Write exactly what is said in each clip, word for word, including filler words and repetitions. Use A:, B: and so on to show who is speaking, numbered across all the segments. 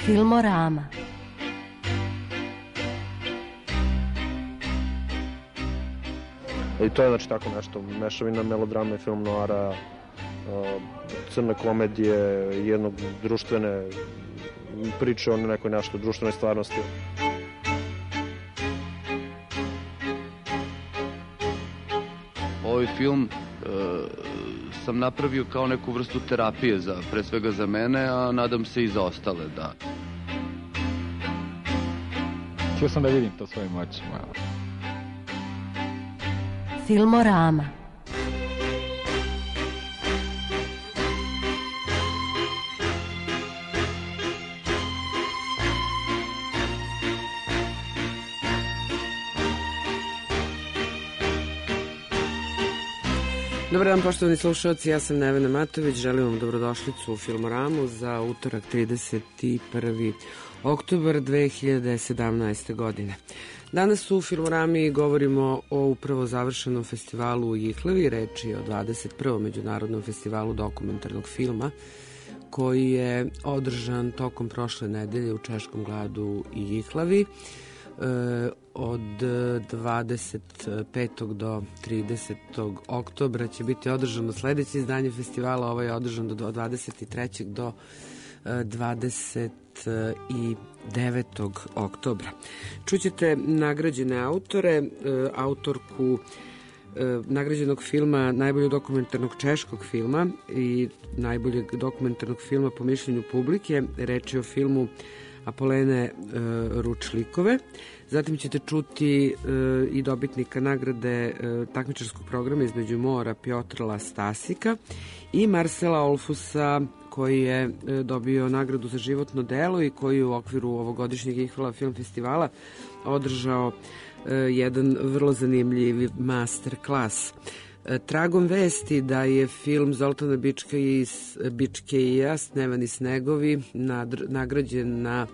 A: Filmorama.
B: I to je znači tako nešto, mešavina melodrama i film noara, crne komedije, jednog društvene priče o nekoj nešto društvenoj stvarnosti.
C: Ovaj film e, sam napravio kao neku vrstu terapije, za, pre svega za mene, a nadam se i za ostale, da.
D: Htio sam da vidim to svojim očima.
A: Filmorama.
E: Dobar dan, poštovani slušalci, ja sam Nevena Matović, želim vam dobrodošlicu u Filmoramu za utorak trideset prvi oktobar dve hiljade sedamnaeste. godine. Danas u Filmorami govorimo o upravo završenom festivalu u Jihlavi, reč je o dvadeset prvom međunarodnom festivalu dokumentarnog filma koji je održan tokom prošle nedelje u Češkom gradu i Jihlavi. E, od dvadeset petog do tridesetog oktobra će biti održano sledeće izdanje festivala, ovo je održan do dvadeset trećeg do dvadeset devetog oktobra. Čućete nagrađene autore, autorku nagrađenog filma, najboljeg dokumentarnog češkog filma i najboljeg dokumentarnog filma po mišljenju publike. Reč je o filmu Apolene e, Ručlikove. Zatim ćete čuti e, i dobitnika nagrade e, takmičarskog programa Između mora Pjotra Stasika i Marcela Olfusa, koji je e, dobio nagradu za životno delo i koji u okviru ovogodišnjeg Ihvala film festivala održao e, jedan vrlo zanimljiv master klas. Tragom vesti da je film Zoltana Bičkeija Snevani snegovi nagrađen na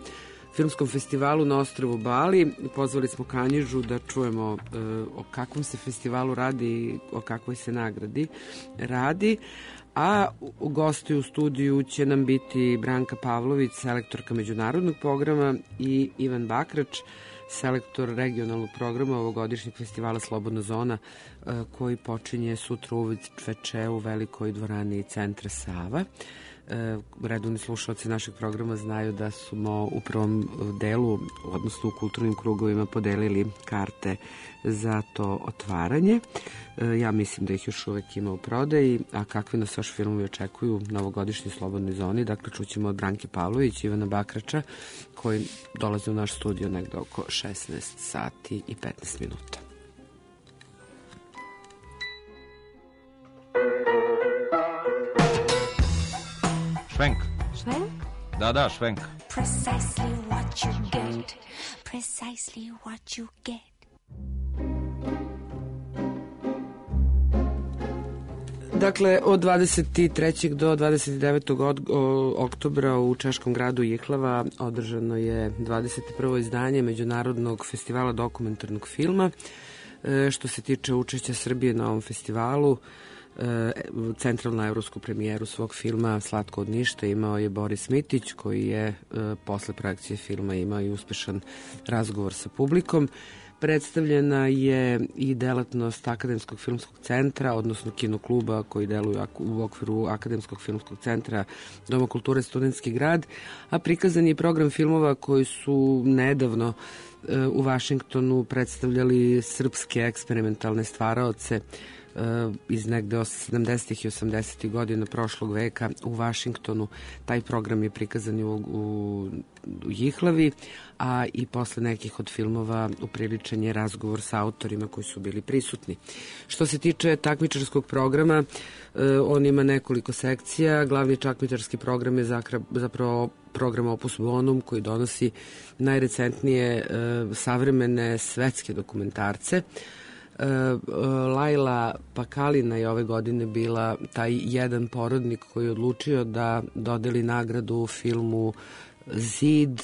E: filmskom festivalu na ostrvu Bali. Pozvali smo Kanjižu da čujemo o kakvom se festivalu radi i o kakvoj se nagradi radi. A u gosti u studiju će nam biti Branka Pavlović, selektorka međunarodnog programa, i Ivan Bakrač, selektor regionalnog programa ovogodišnjeg festivala Slobodna zona, koji počinje sutra uveče u velikoj dvorani Centra Sava. Redovni slušalci našeg programa znaju da smo u prvom delu, odnosno u kulturnim krugovima, podelili karte za to otvaranje. Ja mislim da ih još uvek ima u prodaji, a kakvi nas još filmovi očekuju na ovogodišnjoj Slobodnoj zoni. Dakle, čućemo od Branke Pavlović i Ivana Bakrača, koji dolaze u naš studio negde oko šesnaest sati i petnaest minuta.
F: Švenk.
G: Švenk?
F: Da, da, švenk.
G: Precisely what you get. Precisely what you get.
E: Dakle, od dvadeset trećeg do dvadeset devetog oktobra u Češkom gradu Jihlava održano je dvadeset prvo izdanje Međunarodnog festivala dokumentarnog filma. E, što se tiče učešća Srbije na ovom festivalu, centralnu evropsku premijeru svog filma Slatko od ništa imao je Boris Mitić, koji je e, posle projekcije filma imao i uspešan razgovor sa publikom. Predstavljena je i delatnost Akademskog filmskog centra, odnosno kinokluba koji deluju u okviru Akademskog filmskog centra Doma kulture Studentski grad, a prikazan je program filmova koji su nedavno e, u Vašingtonu predstavljali srpske eksperimentalne stvaraoce iz negde sedamdesetih i osamdesetih godina prošlog veka u Vašingtonu. Taj program je prikazan u, u, u Jihlavi, a i posle nekih od filmova upriličen je razgovor sa autorima koji su bili prisutni. Što se tiče takmičarskog programa, on ima nekoliko sekcija. Glavni takmičarski program je zapravo program Opus Bonum, koji donosi najrecentnije savremene svetske dokumentarce. Lajla Pakalina je ove godine bila taj jedan porodnik koji je odlučio da dodeli nagradu filmu Zid,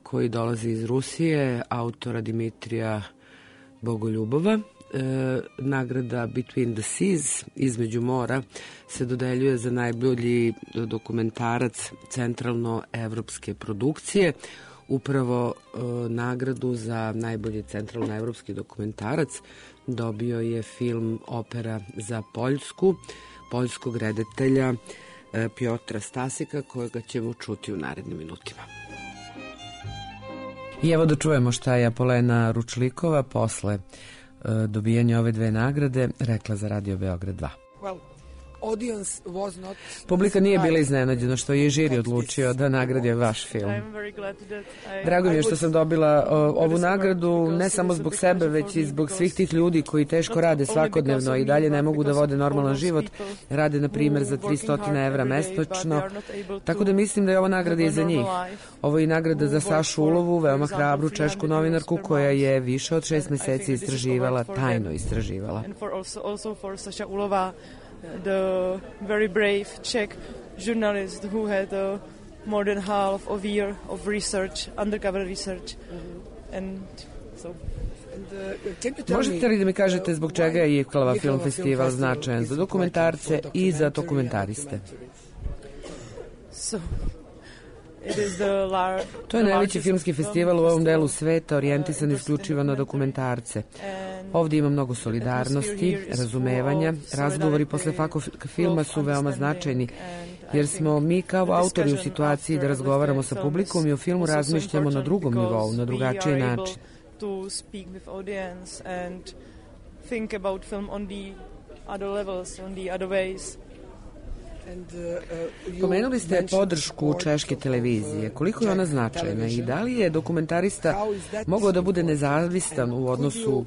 E: koji dolazi iz Rusije, autora Dimitrija Bogoljubova. nagrada Between the Seas, Između mora, se dodeljuje za najbolji dokumentarac centralnoevropske produkcije. Upravo e, nagradu za najbolji centralnoevropski dokumentarac dobio je film Opera za Poljsku, poljskog reditelja e, Piotra Stasika, kojega ćemo čuti u narednim minutima. I evo da čujemo šta je Apolena Ručlikova posle e, dobijanja ove dve nagrade rekla za Radio Beograd dva.
H: Well,
E: publika nije bila iznenađena što je žiri odlučio da nagradi vaš film. Drago mi je što sam dobila o, ovu nagradu ne samo zbog sebe, već i zbog svih tih ljudi koji teško rade svakodnevno i dalje ne mogu da vode normalan život. Rade, na primjer, za tristo evra mesečno. Tako da mislim da je ova nagrada i za njih. Ovo je i nagrada za Sašu Ulovu, veoma hrabru češku novinarku koja je više od šest meseci istraživala, tajno istraživala.
I: The very brave Czech journalist who had uh, more than half of a year of research, undercover research. Mm-hmm. And so...
E: Možete li da mi kažete zbog čega je Iklava film festival značajan za dokumentarce i za dokumentariste?
I: So, it is the lar-
E: to je najveći filmski festival u ovom delu sveta orijentisan isključivo na dokumentarce. Ovdje ima mnogo solidarnosti, razumevanja. Razgovori posle fakov filma su veoma značajni, jer smo mi kao autori u situaciji da razgovaramo sa publikom i o filmu razmišljamo na drugom nivou, na drugačiji način.
I: To speak with audience and think about film on the other levels, on the other ways.
E: Pomenuli ste podršku češke televizije. Koliko je ona značajna i da li je dokumentarista mogao da bude nezavistan u odnosu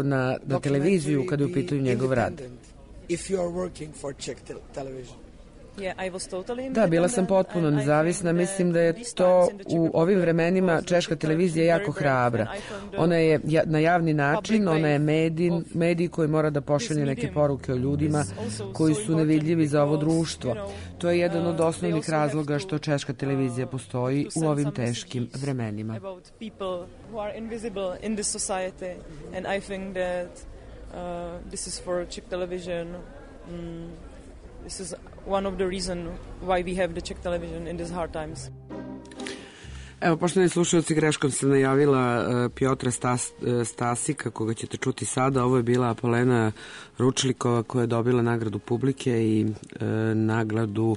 E: na, na televiziju kada je u pitanju njegov rad? Da, bila sam potpuno nezavisna. Mislim da je to u ovim vremenima češka televizija jako hrabra. Ona je na javni način, ona je medij, medij koji mora da pošalje neke poruke o ljudima koji su nevidljivi za ovo društvo. To je jedan od osnovnih razloga što češka televizija postoji u ovim teškim vremenima.
I: This is one of the reasons why we have the Czech television in these hard times.
E: Evo, poštovani slušalci, greškom sam najavila uh, Piotra Stas, uh, Stasika, koga ćete čuti sada. Ovo je bila Apolena Ručlikova koja je dobila nagradu publike i uh, nagradu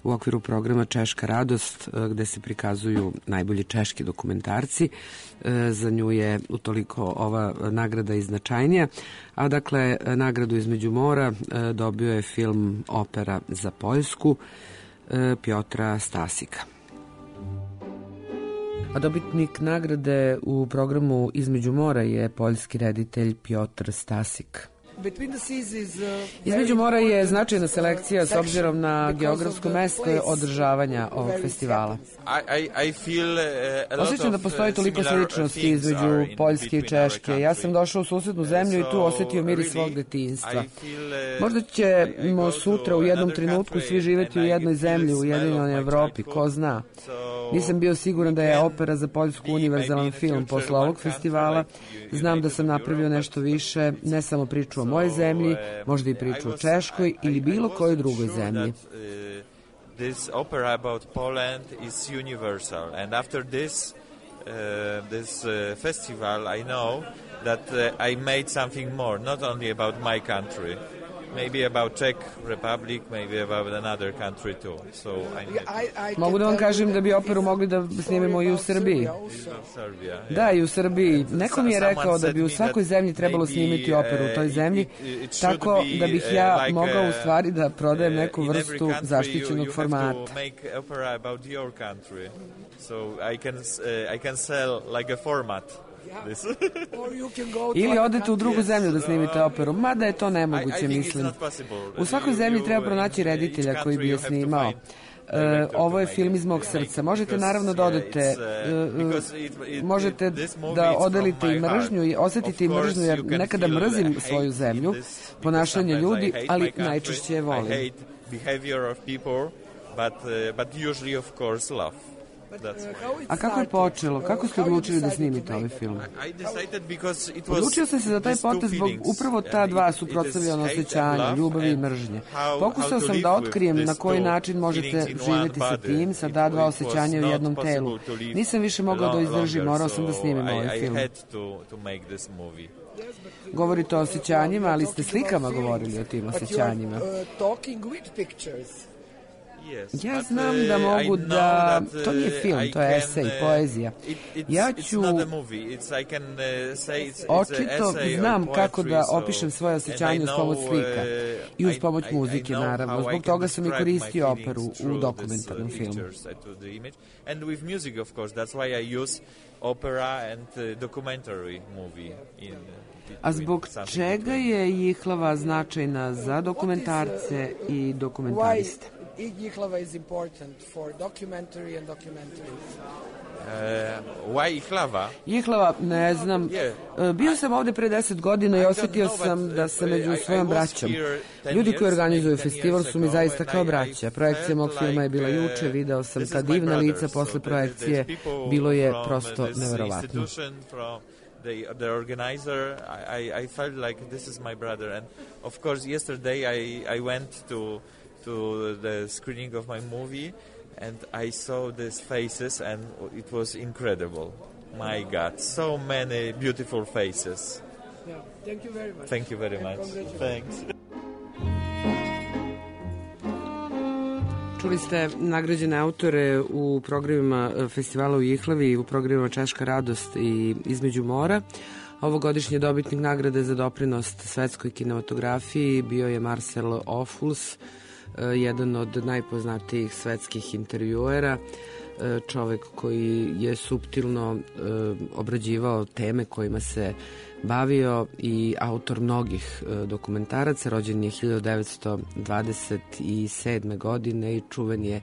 E: u okviru programa Češka radost, uh, gde se prikazuju najbolji češki dokumentarci. Uh, za nju je utoliko ova nagrada i značajnija. A dakle, nagradu Između mora uh, dobio je film Opera za Poljsku uh, Piotra Stasika. A dobitnik nagrade u programu Između mora je poljski reditelj Piotr Stasik. Između mora je značajna selekcija s obzirom na geografsko mesto održavanja ovog festivala. Osjećam da postoji toliko sličnosti između Poljske i Češke. Ja sam došao u susednu zemlju i tu osjetio miris svog detinjstva. Možda ćemo sutra u jednom trenutku svi živjeti u jednoj zemlji, u Ujedinjenoj Evropi, ko zna. Nisam bio siguran da je Opera za Poljsku univerzalan film posle ovog festivala. Znam da sam napravio nešto više, ne samo priču o mojoj zemlji, možda i priču o Češkoj ili bilo kojoj drugoj zemlji.
J: This opera about Poland is universal, and after this uh, this uh, festival I know that uh, I made something more, not only about my country, maybe about Czech Republic, maybe about another country too. So I
E: Mogu da vam kažem da bi operu mogli da snimemo i u Srbiji. Da, i u Srbiji. Neko mi je rekao da bi u svakoj zemlji trebalo snimiti operu u toj zemlji, tako da bih ja mogao u stvari da prodajem neku vrstu zaštićenog formata.
J: So I can I can sell like a format.
E: Ili odete u drugu zemlju da snimite operu, mada je to nemoguće, mislim. U svakoj zemlji treba pronaći reditelja koji bi je snimao. Uh, ovo je film iz mog srca. Možete naravno da odete, uh, možete da odelite i mržnju i osetite i mržnju, jer nekada mrzim svoju zemlju, ponašanje ljudi, ali najčešće je volim.
J: But, uh, but usually of course love.
E: A kako je počelo? Kako ste odlučili da snimite ovaj film? Odlučio sam se za taj potez zbog upravo ta dva suprotstavljena osjećanja, ljubavi i mržnje. Pokušao sam da otkrijem na koji način možete živjeti sa tim, sa ta dva osjećanja u jednom telu. Nisam više mogao da izdržim, morao sam da snimim ovaj film. Govorite o osjećanjima, ali ste slikama govorili o tim osjećanjima. Ja znam da mogu da... To nije film, to je esej, poezija. Ja ću... Očito znam kako da opišem svoje osjećanje uz pomoć slika. I uz pomoć muzike, naravno. Zbog toga sam i koristio operu u dokumentarnom filmu.
J: And with music, of course. That's why I use opera and uh, documentary movie in
E: A zbog čega je Jihlava značajna za dokumentarce i dokumentariste?
H: Jihlava is important for documentary and documentaries.
J: Uh, why Jihlava?
E: Jihlava, ne znam. Bio sam ovde pre deset godina i osjetio sam da sam među svojom braćom. Ljudi koji organizuju festival su mi zaista kao braća. Projekcija mog filma je bila juče, video sam ta divna lica posle projekcije. Bilo je prosto neverovatno.
J: The, the organizer, I, I felt like this is my brother. And of course, yesterday I, I went to to the screening of my movie, and I saw these faces, and it was incredible. My God, so many beautiful faces.
H: Yeah, thank you very much.
J: Thank you very much. Thanks.
E: Čuli ste nagrađene autore u programima festivala u Jihlavi, u programima Češka radost i Između mora. Ovogodišnji dobitnik nagrade za doprinos svetskoj kinematografiji bio je Marcel Ophuls, jedan od najpoznatijih svetskih intervjuera, čovek koji je suptilno obrađivao teme kojima se bavio i autor mnogih dokumentaraca. Rođen je hiljadu devetsto dvadeset sedme. godine i čuven je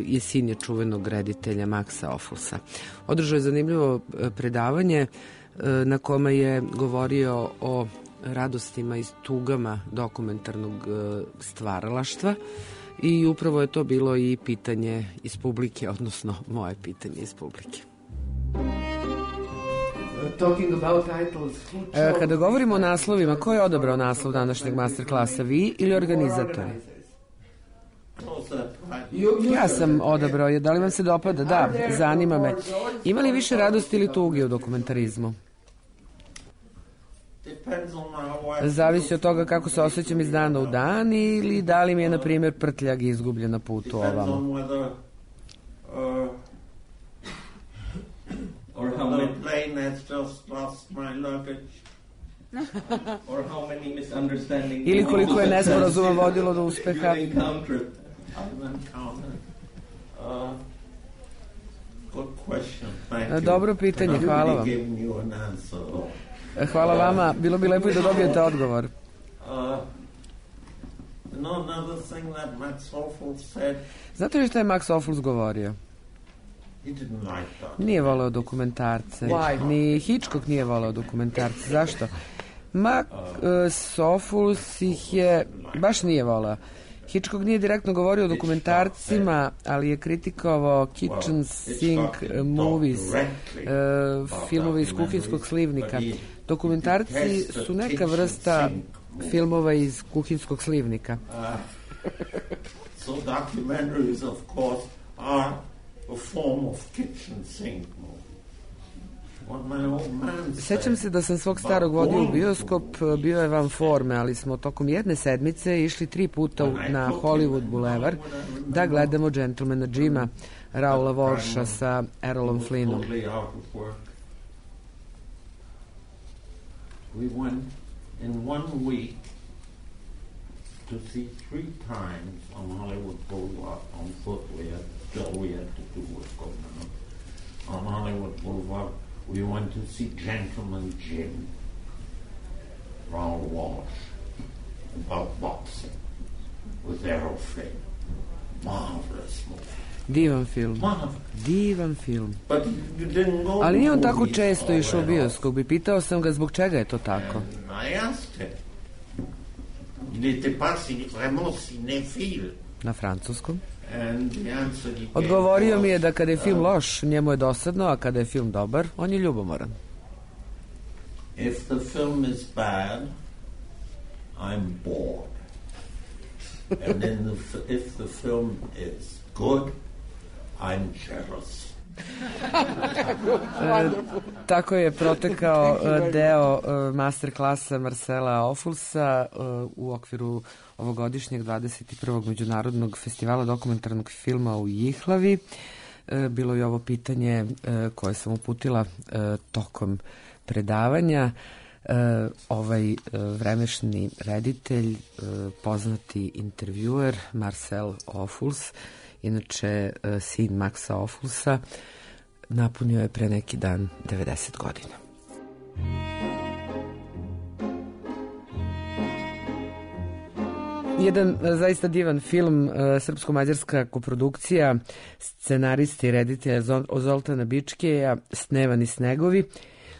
E: je sin je čuvenog reditelja Maxa Opphulsa. Održao je zanimljivo predavanje na kome je govorio o radostima i tugama dokumentarnog stvaralaštva i upravo je to bilo i pitanje iz publike, odnosno moje pitanje iz publike. Kada govorimo o naslovima, ko je odabrao naslov današnjeg masterklasa, vi ili organizatori? Ja sam odabrao je. Da li vam se dopada? Da, zanima me. Ima li više radosti ili tuge u dokumentarizmu? Zavisi od toga kako se osjećam iz dana u dan ili da li mi je, na primjer, prtljag izgubljen na putu ovamo.
K: Or how my plane has just lost my luggage. Or how many misunderstandings.
E: Ili koliko je nesporazuma vodilo do uspeha.
K: I've encountered. Uh, good question. Thank you.
E: Dobro pitanje, hvala vam. Hvala vama, bilo bi lepo i da dobijete odgovor.
K: Uh, no, another thing that Max Ophuls said.
E: Znate li što je Max Ophuls govorio? Nije voleo dokumentarce. Ni Hitchcock nije voleo dokumentarce. Zašto? Max Ophuls ih je baš nije voleo. Hitchcock nije direktno govorio o dokumentarcima, ali je kritikovao kitchen sink movies, filmove iz kuhinskog slivnika. Dokumentarci su neka vrsta filmova iz kuhinskog slivnika.
K: So documentaries, of course, are a form of kitchen sink movie.
E: Sećam se da sam svog starog vodio u bioskop, bio je van forme, ali smo tokom jedne sedmice išli tri puta na Hollywood Boulevard da gledamo Gentlemana Jima, Raula Walsha sa Errolom Flynnom.
K: We went in one week to see three times on Hollywood Boulevard on foot. We had, all we had to do was go down on Hollywood Boulevard. We went to see Gentleman Jim, Raoul Walsh, about boxing with Errol Flynn. Marvelous movie.
E: Divan film. Divan film. Ali nije on tako često išao u bioskop i pitao sam ga zbog čega je to tako.
K: I asked him. Il n'était pas vraiment cinéphile.
E: na francuskom.
K: And the answer he gave
E: Odgovorio mi je
K: was,
E: da kada je film
K: uh,
E: loš, njemu je dosadno, a kada je film dobar, on je ljubomoran.
K: If the film is bad, I'm bored. And then the, f- if the film is good, I'm jealous.
E: E, tako je protekao e, deo e, master klasa Marcela Ophullsa e, u okviru ovogodišnjeg dvadeset prvog međunarodnog festivala dokumentarnog filma u Jihlavi. E, bilo je ovo pitanje e, koje sam uputila e, tokom predavanja. E, ovaj e, vremešni reditelj, e, poznati intervjuer Marcel Ophuls, inače e, sin Maxa Ophullsa, napunio je pre neki dan devedeset godina. Jedan e, zaista divan film, e, srpsko-mađarska koprodukcija, scenaristi i reditelja Zol- Zoltana Bičkeja, Snevani snegovi,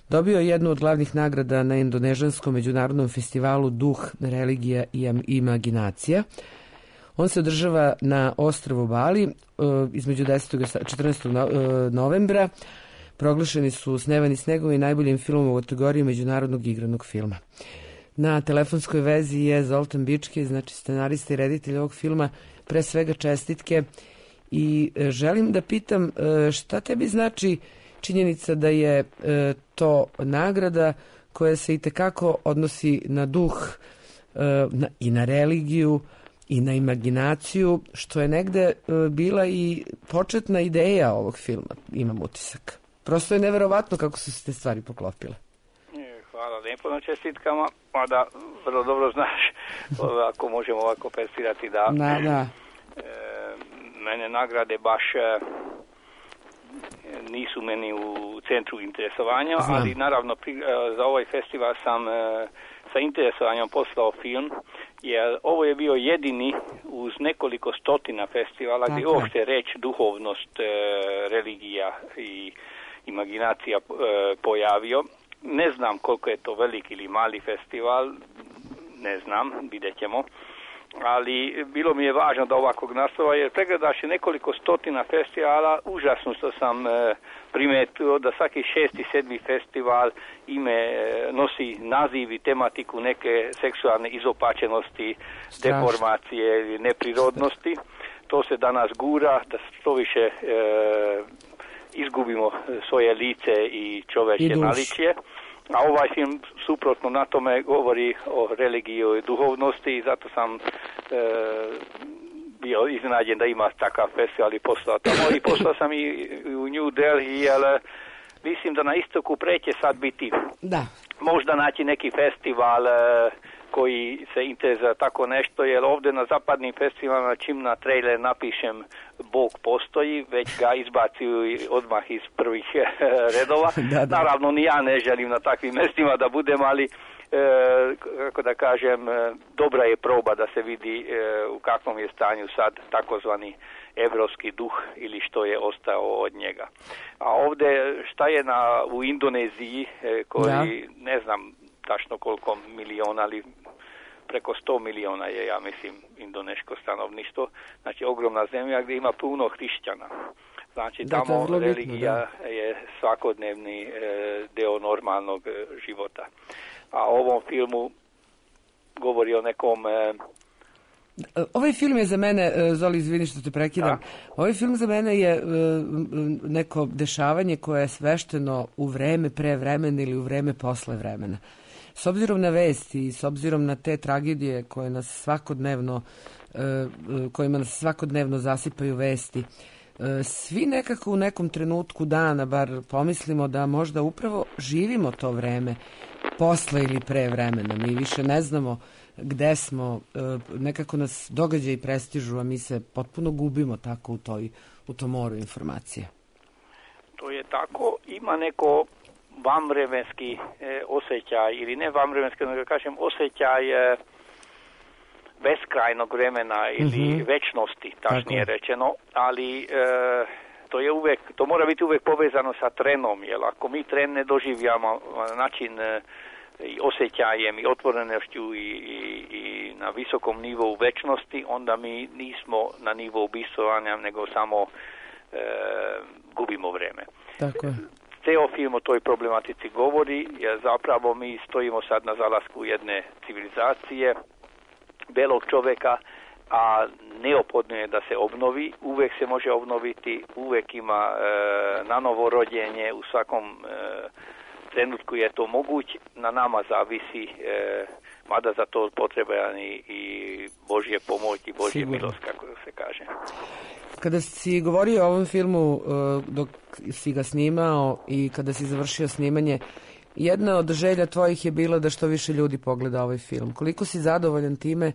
E: dobio je jednu od glavnih nagrada na indonežanskom međunarodnom festivalu Duh, religija i am- imaginacija. On se održava na ostrvu Bali e, između desetog i četrnaestog no, e, novembra. Proglašeni su Snevani snegovi najboljim filmom u kategoriji međunarodnog igranog filma. Na telefonskoj vezi je Zoltan Bičkej, znači scenarista i reditelj ovog filma. Pre svega čestitke i e, želim da pitam e, šta tebi znači činjenica da je e, to nagrada koja se itekako odnosi na duh e, na, i na religiju i na imaginaciju, što je negde e, bila i početna ideja ovog filma, imam utisak. Prosto je neverovatno kako su se te stvari poklopile.
L: Hvala lijepo na čestitkama, mada vrlo dobro znaš ako možemo ovako persirati da,
E: da, da.
L: E, mene nagrade baš e, nisu meni u centru interesovanja,
E: Znam.
L: ali naravno pri, e, za ovaj festival sam e, sa interesovanjem poslao film, jer ovo je bio jedini uz nekoliko stotina festivala
E: Tako
L: gdje
E: je.
L: uopšte reč duhovnost, e, religija i imaginacija e, pojavio. Ne znam koliko je to veliki ili mali festival, ne znam, vidjet ćemo, ali bilo mi je važno da ovakvog naslova, jer pregledaš nekoliko stotina festivala, užasno što sam e, primetio da svaki šesti, sedmi festival ime e, nosi naziv i tematiku neke seksualne izopačenosti,
E: Strašno.
L: deformacije ili neprirodnosti. To se danas gura, da što više e, izgubimo svoje lice i čoveče
E: I dušu.
L: naličje. A ovaj film suprotno na tome govori o religiji i duhovnosti i zato sam e, bio iznenađen da ima takav festival i poslao tamo. I poslao sam i u New Delhi, jer mislim da na istoku preće sad biti
E: Da.
L: možda naći neki festival e, koji se interesuje tako nešto, jer ovdje na zapadnim festivalima čim na trailer napišem Bog postoji, već ga izbacuju odmah iz prvih redova.
E: Da, da.
L: Naravno, ni ja ne želim na takvim mestima da budem, ali e, kako da kažem, e, dobra je proba da se vidi e, u kakvom je stanju sad takozvani evropski duh ili što je ostao od njega. A ovdje šta je na, u Indoneziji e, koji
E: Da.
L: ne znam tačno koliko miliona, ali preko sto miliona je, ja mislim, indoneško stanovništvo. Znači, ogromna zemlja gdje ima puno hrišćana. Znači,
E: Da, to je
L: tamo
E: vrlo bitno,
L: religija je svakodnevni e, deo normalnog e, života. A o ovom filmu govori o nekom... E,
E: Ovaj film je za mene, e, Zoli, izvini što te prekidam,
L: Da.
E: ovaj film za mene je e, m, neko dešavanje koje je svešteno u vreme pre vremena ili u vreme posle vremena. S obzirom na vesti i s obzirom na te tragedije koje nas svakodnevno, e, e, kojima nas svakodnevno zasipaju vesti, e, svi nekako u nekom trenutku dana bar pomislimo da možda upravo živimo to vreme posle ili pre vremena. Mi više ne znamo gde smo, e, nekako nas događaji prestižu, a mi se potpuno gubimo tako u, toj, u tom moru informacije.
L: to je tako, ima neko vanvremenski e, osjećaj, ili ne vanvremenski, nego kažem osjećaj e, beskrajnog vremena ili
E: Mhm.
L: večnosti, tačnije
E: Tako.
L: rečeno, ali e, to je uvek, to mora biti uvek povezano sa trenom, jer ako mi tren ne doživljamo na način e, i osjećajem i otvorenošću i, i, i na visokom nivou večnosti, onda mi nismo na nivou bistvovanja, nego samo e, gubimo vreme.
E: Tako je.
L: Ceo film o toj problematici govori, jer zapravo mi stojimo sad na zalasku jedne civilizacije, belog čoveka, a neophodno je da se obnovi, uvek se može obnoviti, uvek ima e, nanovo rođenje, u svakom e, trenutku je to moguć, na nama zavisi, e, mada za to potreban i, i Božje pomoć i Božje Sigurno. Milost, kako se kaže.
E: Kada si govorio o ovom filmu dok si ga snimao i kada si završio snimanje, jedna od želja tvojih je bila da što više ljudi pogleda ovaj film. Koliko si zadovoljan time?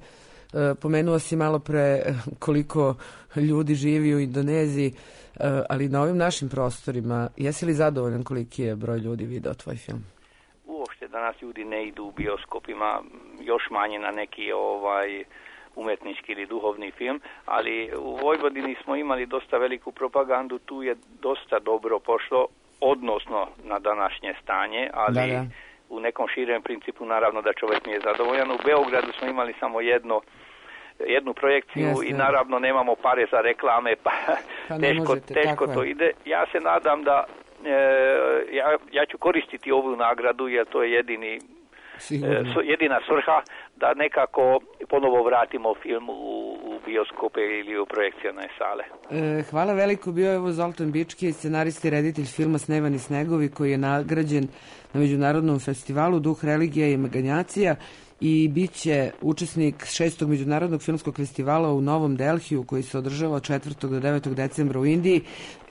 E: Pomenuo si malo pre koliko ljudi živi u Indoneziji, ali na ovim našim prostorima, jesi li zadovoljan koliki je broj ljudi video tvoj film?
L: Uopšte danas ljudi ne idu u bioskopima, još manje na neki ovaj umetnički ili duhovni film, ali u Vojvodini smo imali dosta veliku propagandu, tu je dosta dobro pošlo, odnosno na današnje stanje, ali da, da. U nekom širem principu naravno da čovjek nije zadovoljan. U Beogradu smo imali samo jedno jednu projekciju Jasne. I naravno nemamo pare za reklame, pa, pa teško, možete, teško to je. Ide. Ja se nadam da e, ja, ja ću koristiti ovu nagradu, jer to je jedini e, jedina svrha da nekako ponovo vratimo film u, u bioskope ili u projekcijone sale.
E: E, hvala veliko, bio je ovo Zoltan Bički, scenarist i reditelj filma Snevani snegovi, koji je nagrađen na Međunarodnom festivalu Duh, religija i imaginjacija i bit će učesnik šestog Međunarodnog filmskog festivala u Novom Delhiju, koji se održava od četvrtog do devetog decembra u Indiji.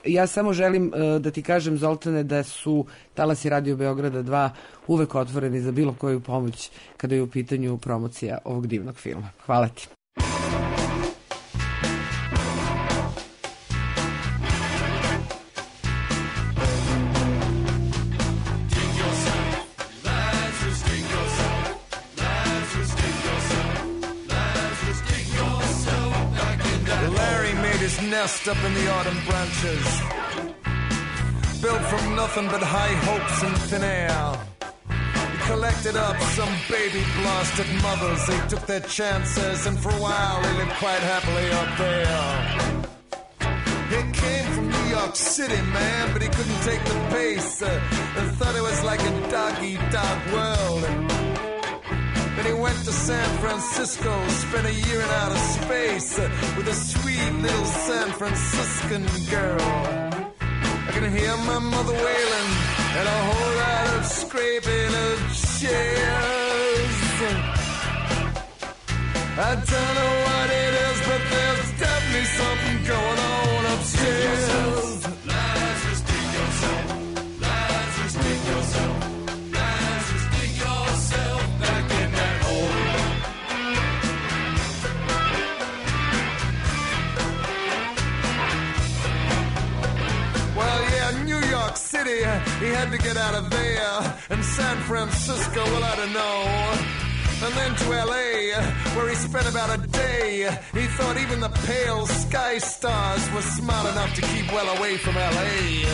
E: Ja samo želim uh, da ti kažem, Zoltane, da su Talasi Radio Beograda dva uvek otvoreni za bilo koju pomoć kada je u pitanju promocija ovog divnog filma. Hvala ti.
M: Nest up in the autumn branches, built from nothing but high hopes and thin air. He collected up some baby blasted mothers. They took their chances, and for a while they lived quite happily up there. He came from New York City, man, but he couldn't take the pace, uh, and thought it was like a dog-eat-dog world. Then he went to San Francisco, spent a year in outer space uh, with a sweet little San Franciscan girl. I can hear my mother wailing and a whole lot of scraping of chairs. I don't know what it is, but there's definitely something going on upstairs. Lazarus, dig yourself. Lazarus, dig yourself. Lazarus, dig yourself back in that hole. Well, yeah, New York City, he had to get out of there. And San Francisco, well, I don't know. And then to L A, where he spent about a day. He thought even the pale sky stars were smart enough to keep well away from L A.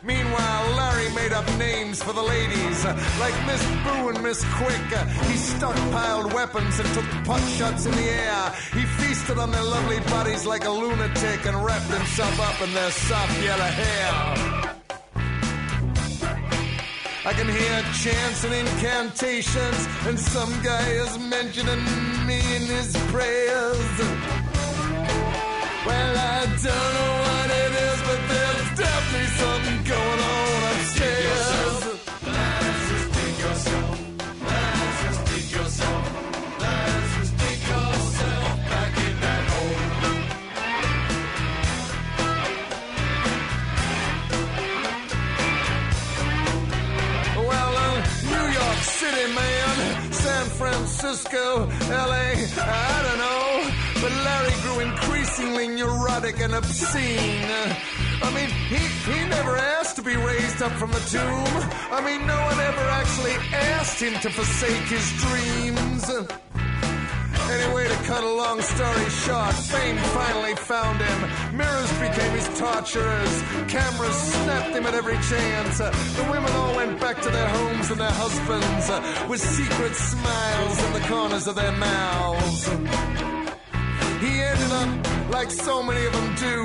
M: Meanwhile, Larry made up names for the ladies, like Miss Boo and Miss Quick. He stockpiled weapons and took pot shots in the air. He feasted on their lovely bodies like a lunatic and wrapped himself up in their soft yellow hair. I can hear chants and incantations, and some guy is mentioning me in his prayers. Well, I don't know what it is, but there's definitely something going on upstairs. Lazarus, dig yourself. Lazarus, dig yourself. Lazarus, dig yourself back in that hole. Well, uh, New York City, man, San Francisco, L A, I don't know. But Larry grew increasingly neurotic and obscene. I mean, he, he never asked to be raised up from the tomb. I mean, no one ever actually asked him to forsake his dreams. Anyway, to cut a long story short, fame finally found him. Mirrors became his torturers. Cameras snapped him at every chance. Uh, the women all went back to their homes and their husbands uh, with secret smiles in the corners of their mouths. He ended up, like so many of them do,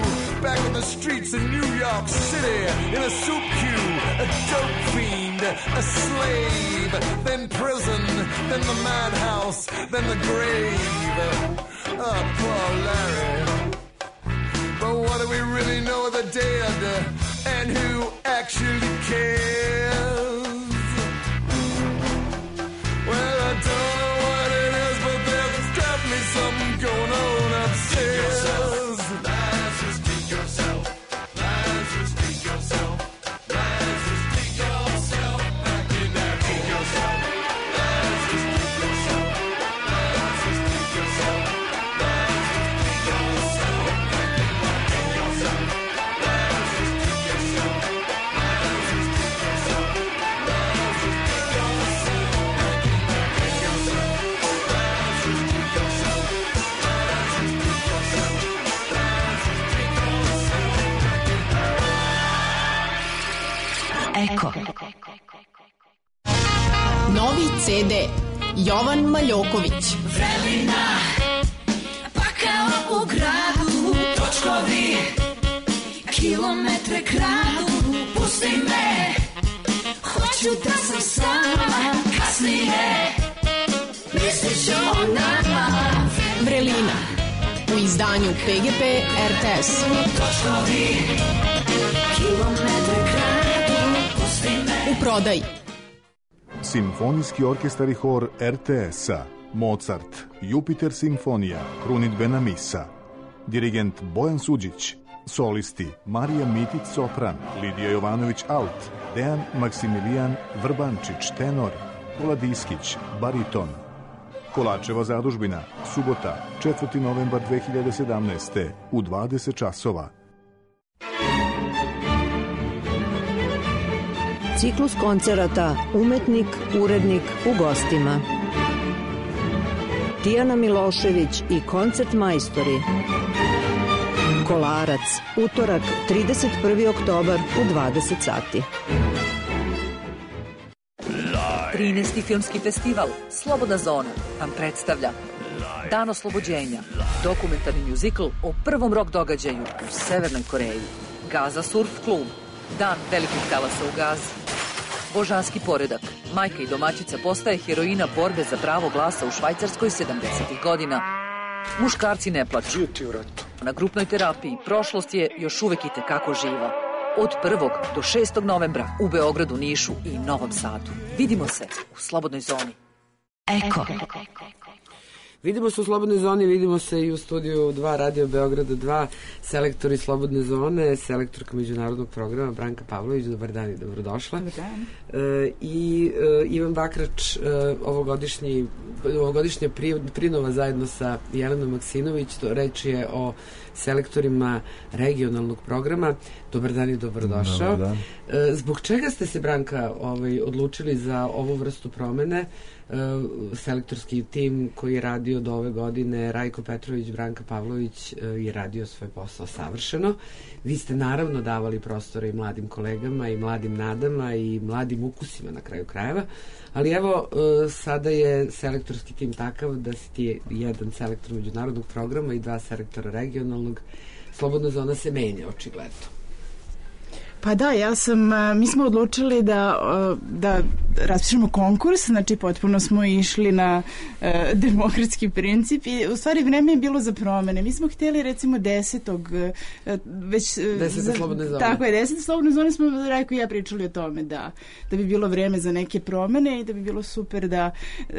M: back on the streets in New York City, in a soup queue, a dope fiend, a slave, then prison, then the madhouse, then the grave. Oh, poor Larry. But what do we really know of the dead, and who actually cares? Well, I don't know what it is, but there's definitely something going on upstairs.
N: Lazarus, take yourself. Lazarus, take yourself. Lazarus, take yourself. Back in there, take yourself. Lazarus, take yourself. Lazarus, take yourself. Lazarus, take yourself. Back in there, take yourself. Lazarus, take yourself. Lazarus, take yourself. Lazarus, take yourself. Back in there, take yourself. Lazarus, take yourself. Lazarus, take yourself.
O: Eko. Novi ce de Jovan Maljoković.
N: Vrelina, pakao u gradu, točkovi, kilometre kradu, pusti me, hoću da sam sama, kasnije, mislit ću o nama.
O: Vrelina u izdanju P G P R T S.
N: Točkovi, kilometre kradu, pusti me.
O: U prodaji.
P: Simfonijski orkestar i hor R T S-a, Mozart, Jupiter simfonija, krunidbena misa. Dirigent Bojan Suđić, solisti Marija Mitić sopran, Lidija Jovanović alt, Dejan Maksimilijan Vrbančić tenor, Pola Diskić bariton. Kolačeva zadužbina, subota, četvrti novembar dve hiljade sedamnaeste. u dvadeset časova.
Q: Ciklus koncerata Umetnik, urednik u gostima. Tijana Milošević i koncert majstori. Kolarac, utorak, trideset prvi oktobar u dvadeset sati.
R: trinaesti filmski festival Slobodna zona vam predstavlja Dan oslobođenja, dokumentarni mjuzikl o prvom rock događaju u Severnoj Koreji. Gaza Surf klub, Dan velikih talasa u Gazi. Božanski poredak, majka i domaćica postaje heroina borbe za pravo glasa u Švajcarskoj sedamdesetih godina. Muškarci ne plaču. Na grupnoj terapiji prošlost je još uvek i tekako živa. Od prvog do šestog novembra u Beogradu, Nišu i Novom Sadu. Vidimo se u Slobodnoj zoni.
O: Eko.
E: Vidimo se u Slobodnoj zoni, vidimo se i u studiju dva Radio Beograda dva, selektori Slobodne zone, selektorka međunarodnog programa Branka Pavlović, dobar dan i dobrodošla.
S: Dobar dan.
E: E, I e, Ivan Bakrač, e, ovogodišnji, ovogodišnja pri, prinova zajedno sa Jelenom Maksinović, to reč je o selektorima regionalnog programa. Dobar dan i dobrodošao.
S: Dobar dan.
E: E, zbog čega ste se, Branka, ovaj, odlučili za ovu vrstu promene? Selektorski tim koji je radio do ove godine, Rajko Petrović, Branka Pavlović, je radio svoj posao savršeno. Vi ste naravno davali prostora i mladim kolegama i mladim nadama i mladim ukusima na kraju krajeva, ali evo sada je selektorski tim takav da si ti jedan selektor međunarodnog programa i dva selektora regionalnog. Slobodna zona se menja očigledno.
S: Pa da, ja sam, mi smo odlučili da, da raspišemo konkurs, znači potpuno smo išli na uh, demokratski princip i u stvari vreme je bilo za promene. Mi smo htjeli recimo desetog uh, već...
E: Desete slobodne zone.
S: Tako je, desete slobodne zone smo Rajko i ja pričali o tome da, da bi bilo vreme za neke promene i da bi bilo super da,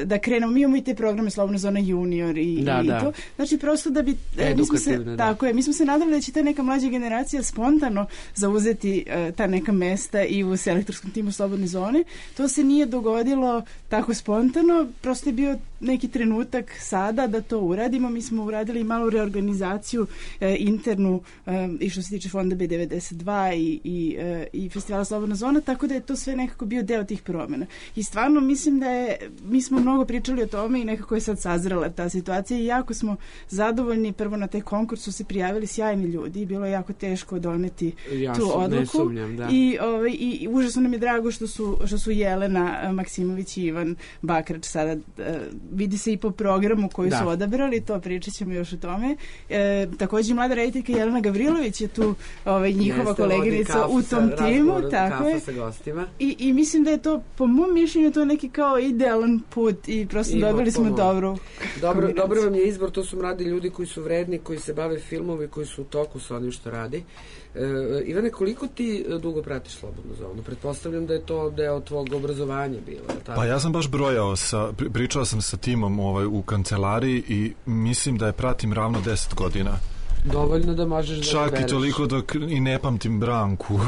S: da krenemo. Mi imamo i te programe Slobodna zona junior i,
E: da,
S: i
E: da.
S: to. Znači prosto da bi... Mi smo se,
E: da.
S: Tako je, mi smo se nadali da će ta neka mlađa generacija spontano zauzeti e, ta neka mesta i u selektorskom timu Slobodne zone. To se nije dogodilo tako spontano, prosto je bio neki trenutak sada da to uradimo. Mi smo uradili malu reorganizaciju e, internu e, i što se tiče fonda B devedeset dva i, i, e, i festivala Slobodna zona, tako da je to sve nekako bio deo tih promjena. I stvarno mislim da je, mi smo mnogo pričali o tome i nekako je sad sazrela ta situacija i jako smo zadovoljni. Prvo na taj konkurs su se prijavili sjajni ljudi i bilo je jako teško doneti
E: ja
S: tu
E: sam,
S: odluku.
E: Ne sumnjam, da.
S: I, ovaj, i, i užasno nam je drago što su, što su Jelena Maksimović i Ivan Bakrač sada uh, vidi se i po programu koji
E: da.
S: su odabrali, to pričat ćemo još o tome. E, također mlada rediteljka Jelena Gavrilović je tu ovaj, njihova Jeste, koleginica u tom timu. Tako je.
E: Sa gostima.
S: I, I mislim da je to, po mom mišljenju, to neki kao idealan put i prosto I dobili smo dobru
E: dobro, dobro vam je izbor, to su mladi ljudi koji su vredni, koji se bave filmovi, koji su u toku sa onim što radi. E, Ivane, koliko ti dugo pratiš Slobodnu zonu? Pretpostavljam da je to deo tvog obrazovanja bilo.
T: Pa ja sam baš brojao, sa, pričao sam sa timom ovaj, u kancelariji i mislim da je pratim ravno deset godina.
E: Dovoljno da možeš da
T: čak i toliko dok i ne pamtim Branku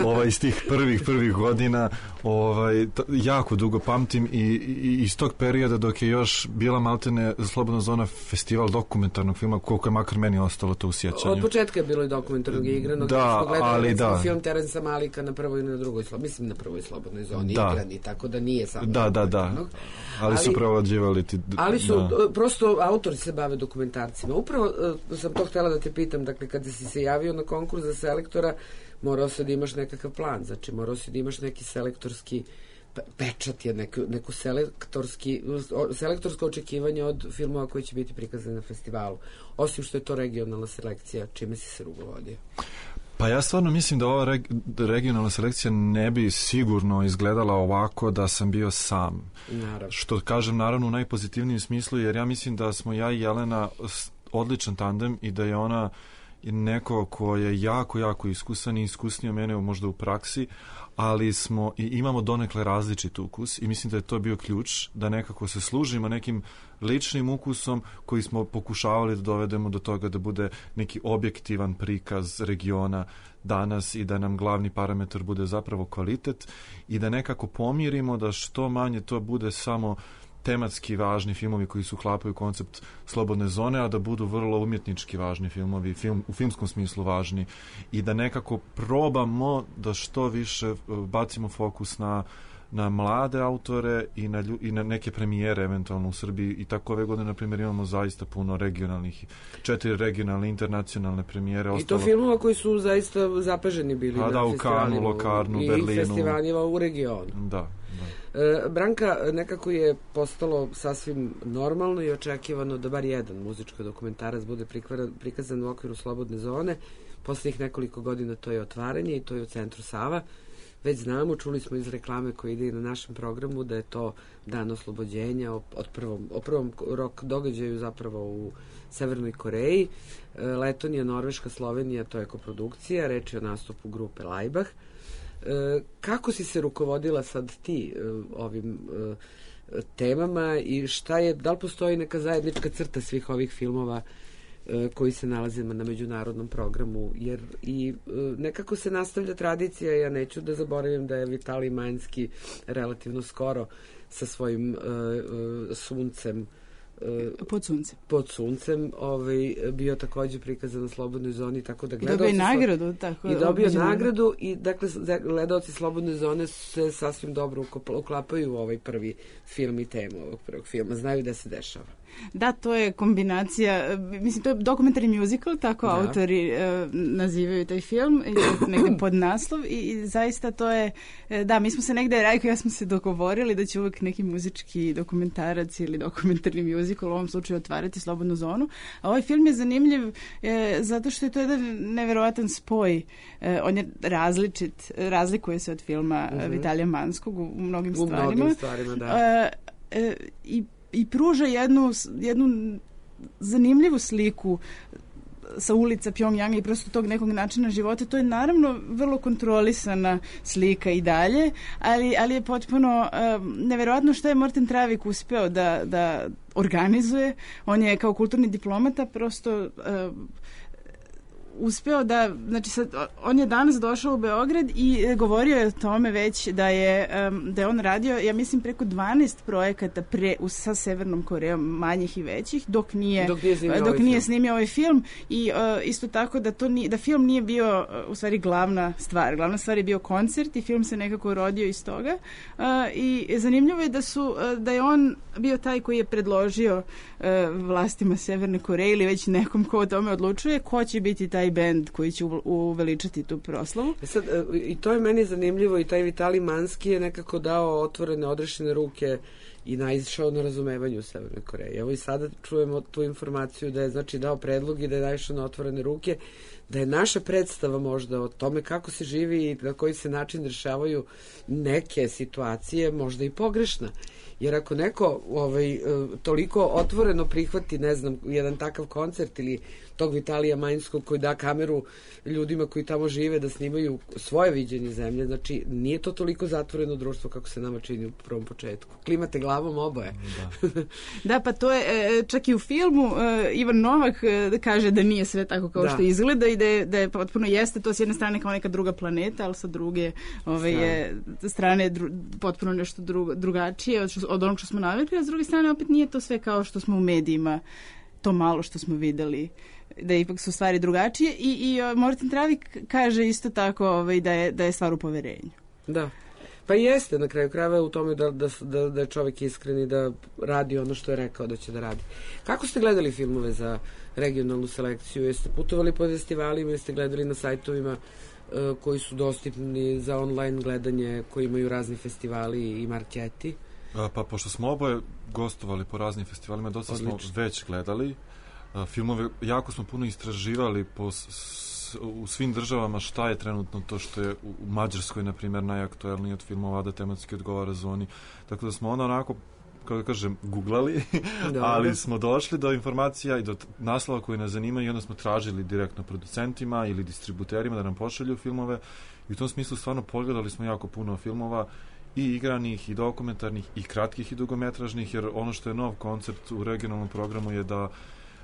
T: ovaj, iz tih prvih prvih godina ovaj, t- jako dugo pamtim i, i iz tog perioda dok je još bila maltene Slobodna zona festival dokumentarnog filma, koliko je makar meni ostalo to u sjećanju.
E: Od početka je bilo i dokumentarnog i igranog.
T: Da, ali da.
E: Film Terensa Malika na prvoj i na drugoj, mislim na prvoj Slobodnoj zoni
T: da.
E: igrani, tako da nije samo
T: da, da, da. Ali, ali su prevlađivali ti...
E: Ali su,
T: da.
E: prosto autori se bave dokumentarcima. Upravo uh, sam to htjela da te pitam, dakle, kada si se javio na konkurs za selektora, morao se da imaš nekakav plan, znači morao si da imaš neki selektorski pečat, je neku, neku selektorski, selektorsko očekivanje od filmova koji će biti prikazani na festivalu. Osim što je to regionalna selekcija, čime si se rukovodio?
T: Pa ja stvarno mislim da ova reg, regionalna selekcija ne bi sigurno izgledala ovako da sam bio sam.
E: Naravno.
T: Što kažem naravno u najpozitivnijem smislu, jer ja mislim da smo ja i Jelena odličan tandem i da je ona neko ko je jako, jako iskusan i iskusnio mene možda u praksi, ali smo i imamo donekle različit ukus i mislim da je to bio ključ da nekako se služimo nekim ličnim ukusom koji smo pokušavali da dovedemo do toga da bude neki objektivan prikaz regiona danas i da nam glavni parametar bude zapravo kvalitet i da nekako pomirimo da što manje to bude samo tematski važni filmovi koji su uklapaju koncept Slobodne zone, a da budu vrlo umjetnički važni filmovi, film, u filmskom smislu važni i da nekako probamo da što više bacimo fokus na, na mlade autore i na, lju, i na neke premijere eventualno u Srbiji i tako ove godine, na primjer, imamo zaista puno regionalnih, četiri regionalne internacionalne premijere.
E: I
T: ostalo...
E: to filmova koji su zaista zapaženi bili
T: a,
E: na
T: da, u
E: festivalima.
T: Kanu, Lokarnu,
E: i
T: Berlinu.
E: I festivalima u regionu.
T: Da.
E: E, Branka, nekako je postalo sasvim normalno i očekivano da bar jedan muzički dokumentarac bude prikazan u okviru Slobodne zone. Posljednjih nekoliko godina to je Otvaranje i to je u Centru Sava. Već znamo, čuli smo iz reklame koja ide i na našem programu da je to Dan oslobođenja o, od prvom, o prvom rock događaju zapravo u Severnoj Koreji. E, Letonija, Norveška, Slovenija, to je koprodukcija, reč je o nastupu grupe Laibach. E, kako si se rukovodila sad ti e, ovim e, temama i šta je, da li postoji neka zajednička crta svih ovih filmova e, koji se nalaze na međunarodnom programu, jer i e, nekako se nastavlja tradicija, ja neću da zaboravim da je Vitalij Manjski relativno skoro sa svojim e, e, suncem
S: pod suncem.
E: Pod suncem, ovaj, bio također prikazan na Slobodnoj zoni, tako da gledaoci...
S: Dobio nagradu, tako...
E: I dobio nagradu i, dakle, gledaoci Slobodne zone se sasvim dobro uklapaju u ovaj prvi film i temu ovog prvog filma. Znaju da se dešava.
S: Da, to je kombinacija, mislim, to je dokumentarni musical, tako da. Autori e, nazivaju taj film, negde pod naslov i, i zaista to je, e, da, mi smo se negde, Rajko i ja smo se dogovorili da će uvijek neki muzički dokumentarac ili dokumentarni musical u ovom slučaju otvarati Slobodnu zonu, a ovaj film je zanimljiv e, zato što je to jedan neverovatan spoj, e, on je različit, razlikuje se od filma mm-hmm. Vitalija Manskog u, u mnogim
E: u
S: stvarima.
E: U mnogim stvarima, da.
S: E, e, I i pruža jednu, jednu zanimljivu sliku sa ulica Pjongjanga i prosto tog nekog načina života. To je naravno vrlo kontrolisana slika i dalje, ali, ali je potpuno um, neverovatno što je Morten Travik uspeo da, da organizuje. On je kao kulturni diplomata prosto um, uspeo da, znači sad, on je danas došao u Beograd i e, govorio je o tome već da je, um, da je on radio, ja mislim, preko dvanaest projekata pre, u, sa Severnom Korejom, manjih i većih, dok nije,
E: dok nije snimio,
S: dok
E: ovaj,
S: nije
E: film.
S: snimio ovaj film i uh, isto tako da, to nije, da film nije bio uh, u stvari glavna stvar. Glavna stvar je bio koncert i film se nekako rodio iz toga uh, i zanimljivo je da, su, uh, da je on bio taj koji je predložio uh, vlastima Severne Koreje ili već nekom ko o tome odlučuje ko će biti taj bend koji će uveličati tu proslavu.
E: E sad, i to je meni zanimljivo i taj Vitali Manski je nekako dao otvorene, odrešene ruke i naišao na razumevanju Severne Koreje. Evo i sada čujemo tu informaciju da je znači dao predlog i da je naišao na otvorene ruke, da je naša predstava možda o tome kako se živi i na koji se način rešavaju neke situacije možda i pogrešna. Jer ako neko ovaj, toliko otvoreno prihvati, ne znam, jedan takav koncert ili tog Vitalija Manjskog koji da kameru ljudima koji tamo žive da snimaju svoje viđenje zemlje, znači nije to toliko zatvoreno društvo kako se nama čini u prvom početku. Klimate glavom oboje.
S: Da, da pa to je, čak i u filmu Ivan Novak kaže da nije sve tako kao da. Što izgleda i da je, da je potpuno jeste to s jedne strane kao neka druga planeta, ali sa druge ove, je, strane dru, potpuno nešto drugo, drugačije od, od onog što smo navikli, a s druge strane opet nije to sve kao što smo u medijima, to malo što smo videli, da ipak su stvari drugačije i, i Morten Travik kaže isto tako ovaj, da, je, da je stvar u poverenju.
E: Da. Pa jeste na kraju krajeva u tome da, da, da, da je čovjek iskren i da radi ono što je rekao da će da radi. Kako ste gledali filmove za regionalnu selekciju? Jeste putovali po festivalima ili ste gledali na sajtovima uh, koji su dostupni za online gledanje, koji imaju razni festivali i marketi?
T: A, pa pošto smo oboje gostovali po raznim festivalima, dosta Odlično. Smo već gledali. A, filmove, jako smo puno istraživali po s, u svim državama šta je trenutno to što je u Mađarskoj, na primjer, najaktuelniji od filmova da tematski odgovara zoni. Tako da smo ono onako, kako da kažem, googlali, ali smo došli do informacija i do naslova koji nas zanimaju i onda smo tražili direktno producentima ili distributerima da nam pošalju filmove i u tom smislu stvarno pogledali smo jako puno filmova i igranih, i dokumentarnih, i kratkih i dugometražnih, jer ono što je nov koncept u regionalnom programu je da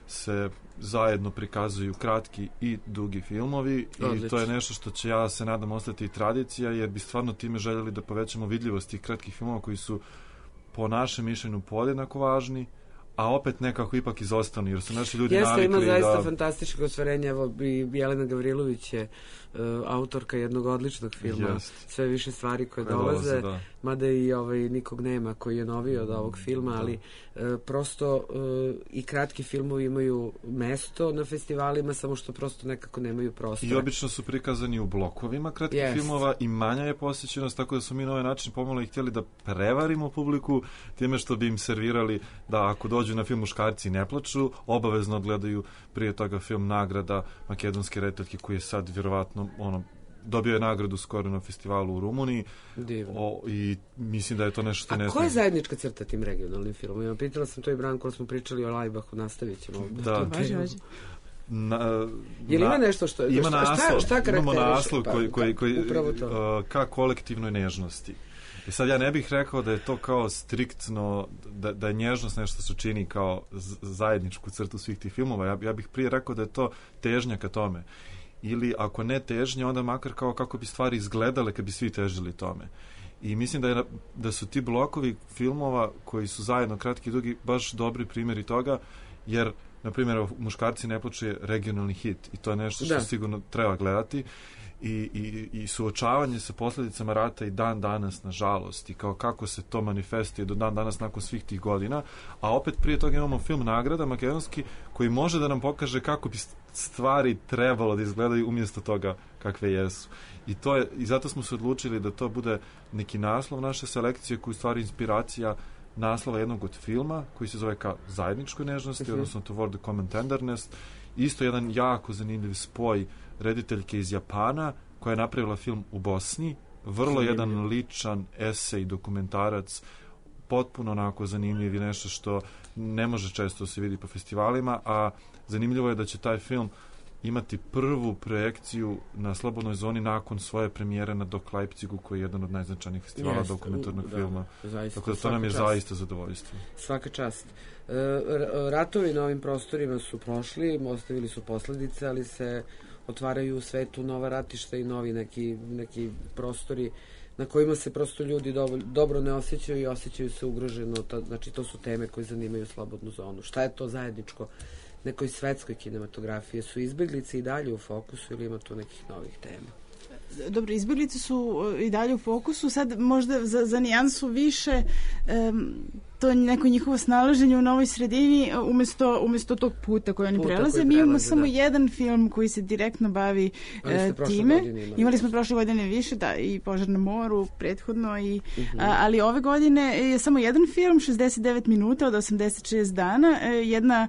T: se zajedno prikazuju kratki i dugi filmovi. Odlično. I to je nešto što će, ja se nadam, ostati i tradicija, jer bi stvarno time željeli da povećamo vidljivost tih kratkih filmova koji su po našem mišljenju podjednako važni, a opet nekako ipak izostani, jer su naši ljudi
E: Jeste,
T: navikli da...
E: Jeste, ima zaista fantastičko ostvarenje. Evo, i Jelena Gavrilović je uh, autorka jednog odličnog filma. Jest. Sve više stvari koje, koje dolaze, dolaze mada i ovaj, nikog nema koji je noviji od ovog filma, da. Ali uh, prosto uh, i kratki filmovi imaju mesto na festivalima, samo što prosto nekako nemaju prostora.
T: I obično su prikazani u blokovima kratkih Jest. filmova i manja je posjećenost, tako da su mi na ovaj način pomalo i htjeli da prevarimo publiku time što bi im servirali da ako dođu na film Muškarci ne plaču, obavezno gledaju prije toga film Nagrada makedonske rediteljke koji je sad vjerovatno ono, dobio je nagradu skoro na festivalu u Rumuniji. O, i mislim da je to nešto što ne...
E: A koja je zajednička crta tim regionalnim filmom? Pitala sam to i Branko, smo pričali o Lajbahu, nastavit ćemo.
T: Da.
E: Važi, važi.
T: Na,
E: je li ima nešto što...
T: Ima
E: šta,
T: naslov,
E: šta, šta
T: imamo naslov
E: pa,
T: koji, koji, koji
E: uh,
T: ka kolektivnoj nežnosti. I sad ja ne bih rekao da je to kao striktno, da, da je nježnost nešto što čini kao zajedničku crtu svih tih filmova. Ja, ja bih prije rekao da je to težnja ka tome. Ili ako ne težnja, onda makar kao kako bi stvari izgledale kad bi svi težili tome. I mislim da, je, da su ti blokovi filmova koji su zajedno kratki i dugi baš dobri primjeri toga, jer, na primjer, Muškarci ne plaču je regionalni hit i to je nešto što da. sigurno treba gledati. I, i, i suočavanje sa posljedicama rata i dan danas, nažalost, i kao kako se to manifestuje do dan danas nakon svih tih godina, a opet prije toga imamo film Nagrada makedonski koji može da nam pokaže kako bi stvari trebalo da izgledaju umjesto toga kakve jesu. I, to je, i zato smo se odlučili da to bude neki naslov naše selekcije koji je u stvari inspiracija naslova jednog od filma koji se zove kao Zajedničkoj nežnosti, uh-huh. odnosno Toward the Common Tenderness. Isto jedan jako zanimljiv spoj rediteljke iz Japana koja je napravila film u Bosni, vrlo zanimljiv. Jedan ličan esej, dokumentarac, potpuno onako zanimljiv i nešto što ne može često se vidi po festivalima, a zanimljivo je da će taj film imati prvu projekciju na Slobodnoj zoni nakon svoje premijere na Dok Leipzigu, koji je jedan od najznačajnijih festivala Jest, dokumentarnog da, filma. Zaista, tako da to nam je čast. Zaista zadovoljstvo.
E: Svaka čast. E, ratovi na ovim prostorima su prošli, ostavili su posledice, ali se otvaraju u svetu nova ratišta i novi neki, neki prostori na kojima se prosto ljudi dobro, dobro ne osjećaju i osjećaju se ugroženo. To, znači, to su teme koje zanimaju slobodnu zonu. Šta je to zajedničko nekoj svetskoj kinematografiji? Su izbjeglice i dalje u fokusu ili ima tu nekih novih tema?
S: Dobro, izbjeglice su i dalje u fokusu, sad možda za, za nijansu više um, to je neko njihovo snalaženje u novoj sredini umjesto, umjesto tog puta koji oni puta prelaze. Koji Mi imamo prelaze, samo da. jedan film koji se direktno bavi uh, time. Imali, imali smo prošle godine više, da, i Požar na moru prethodno, i, uh-huh. a, ali ove godine je samo jedan film, šezdeset devet minuta od osamdeset šest dana, jedna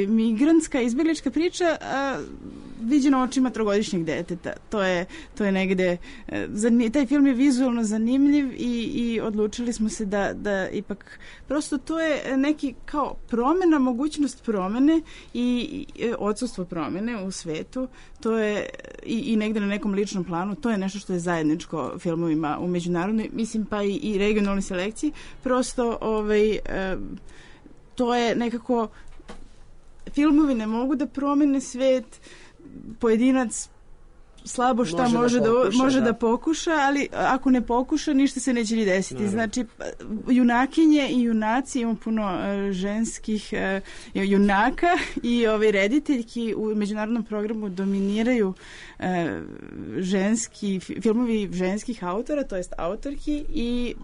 S: migrantska izbjeglička priča a, viđena očima trogodišnjeg deteta. To je, to je negde, taj film je vizualno zanimljiv i, i odlučili smo se da, da ipak prosto to je neki kao promjena, mogućnost promjene i, i odsustvo promjene u svetu. To je i, i negde na nekom ličnom planu, to je nešto što je zajedničko filmovima u međunarodnoj, mislim pa i, i regionalnoj selekciji. Prosto ovaj, e, to je nekako, filmovi ne mogu da promene svet, pojedinac slabo šta može, može, da, pokuša, može da. da pokuša, ali ako ne pokuša, ništa se neće ni desiti. Naravno. Znači, junakinje i junaci, imamo puno uh, ženskih uh, junaka i ove rediteljki u međunarodnom programu dominiraju uh, ženski, filmovi ženskih autora, to jest autorki, i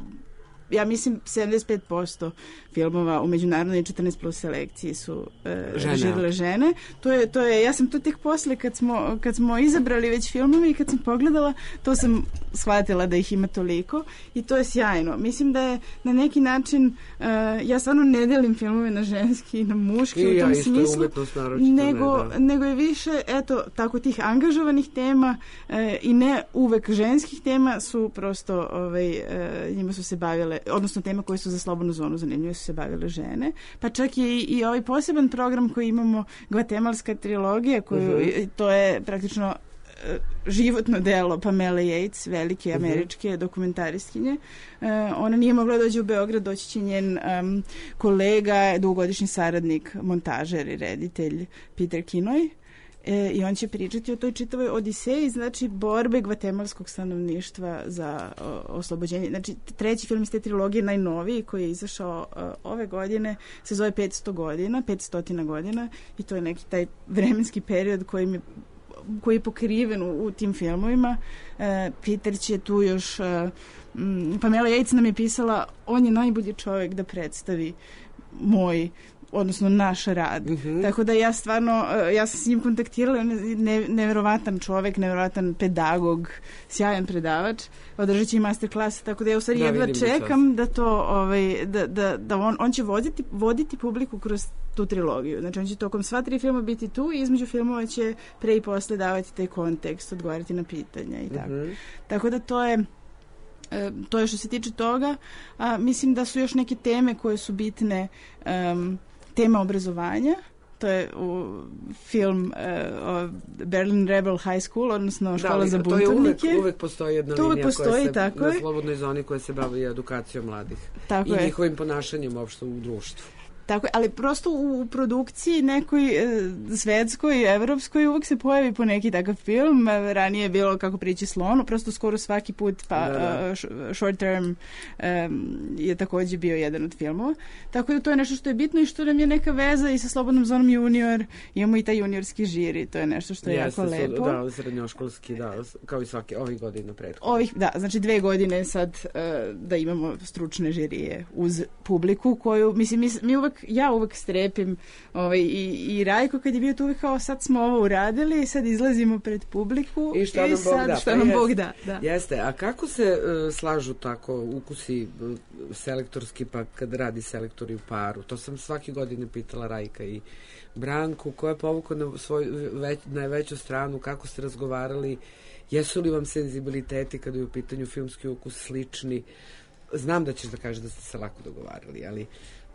S: ja mislim sedamdeset pet posto filmova u međunarodnoj četrnaest plus selekciji su e, režirale žene. To je, to je, ja sam to tek posle kad smo, kad smo izabrali već filmove i kad sam pogledala, to sam shvatila da ih ima toliko i to je sjajno. Mislim da je na neki način, e, ja stvarno ne delim filmove na ženski i na muški
E: I
S: u tom
E: ja
S: smislu, nego,
E: ne,
S: nego je više, eto, tako tih angažovanih tema e, i ne uvek ženskih tema su prosto, ovaj, e, njima su se bavile, odnosno tema koje su za slobodnu zonu zanimljive su se bavile žene. Pa čak i, i ovaj poseban program koji imamo, Gvatemalska trilogija, koju, uh-huh. to je praktično uh, životno delo Pamele Yates, velike američke uh-huh. dokumentaristkinje. Uh, ona nije mogla doći u Beograd, doći će njen um, kolega, dugogodišnji saradnik, montažer i reditelj Peter Kinoy. E, i on će pričati o toj čitavoj odiseji, znači borbe gvatemalskog stanovništva za o, oslobođenje. Znači, treći film iz te trilogije, najnoviji, koji je izašao o, ove godine, se zove petsto godina, petstotina godina, i to je neki taj vremenski period koji mi koji je pokriven u, u tim filmovima. E, Peter će tu još... E, m, Pamela Yates nam je pisala, on je najbolji čovjek da predstavi moj odnosno naš rad. Uh-huh. Tako da ja stvarno, ja sam s njim kontaktirala, on je ne, neverovatan čovjek, neverovatan pedagog, sjajan predavač, održat će i masterclass, tako da ja u stvari jedva čekam da to, ovaj, da, da, da on, on će voditi, voditi publiku kroz tu trilogiju. Znači on će tokom sva tri filma biti tu i između filmova će pre i posle davati taj kontekst, odgovarati na pitanja i tako. Uh-huh. Tako da to je to je što se tiče toga, a mislim da su još neke teme koje su bitne, um, tema obrazovanja, to je u film uh, Berlin Rebel High School, odnosno škola da, za buntovnike. To je uvek, uvek postoji jedna to linija postoji, koja se tako na slobodnoj zoni koja se bavi edukacijom mladih tako i je. Njihovim ponašanjem uopšte u društvu. Tako, ali prosto u, u produkciji nekoj e, svetskoj, evropskoj uvijek se pojavi po neki takav film. Ranije je bilo Kako prići slonu, prosto skoro svaki put, pa da, da. Uh, Short Term um, je također bio jedan od filmova. Tako da to je nešto što je bitno i što nam je neka veza i sa Slobodnom zonom junior. Imamo i taj juniorski žiri, to je nešto što je Jeste, jako lepo.
E: Da, srednjoškolski, da, kao i svake, ovih godina prethodno.
S: Ovih, da, znači dve godine sad uh, da imamo stručne žirije uz publiku koju, mislim, mi, mi uvek ja uvek strepim ovaj, i, i Rajko kad je bio tu uvek kao sad smo ovo uradili, sad izlazimo pred publiku
E: i šta
S: i
E: nam
S: sad
E: Bog da.
S: šta
E: Pa
S: nam
E: jest,
S: Bog da, da.
E: Jeste, a kako se uh, slažu tako ukusi uh, selektorski pa kad radi selektori u paru? To sam svake godine pitala Rajka i Branku, ko je povukao na svoju već, najveću stranu, kako ste razgovarali, jesu li vam senzibiliteti kada je u pitanju filmski ukus slični? Znam da ćeš da kažeš da ste se lako dogovarali, ali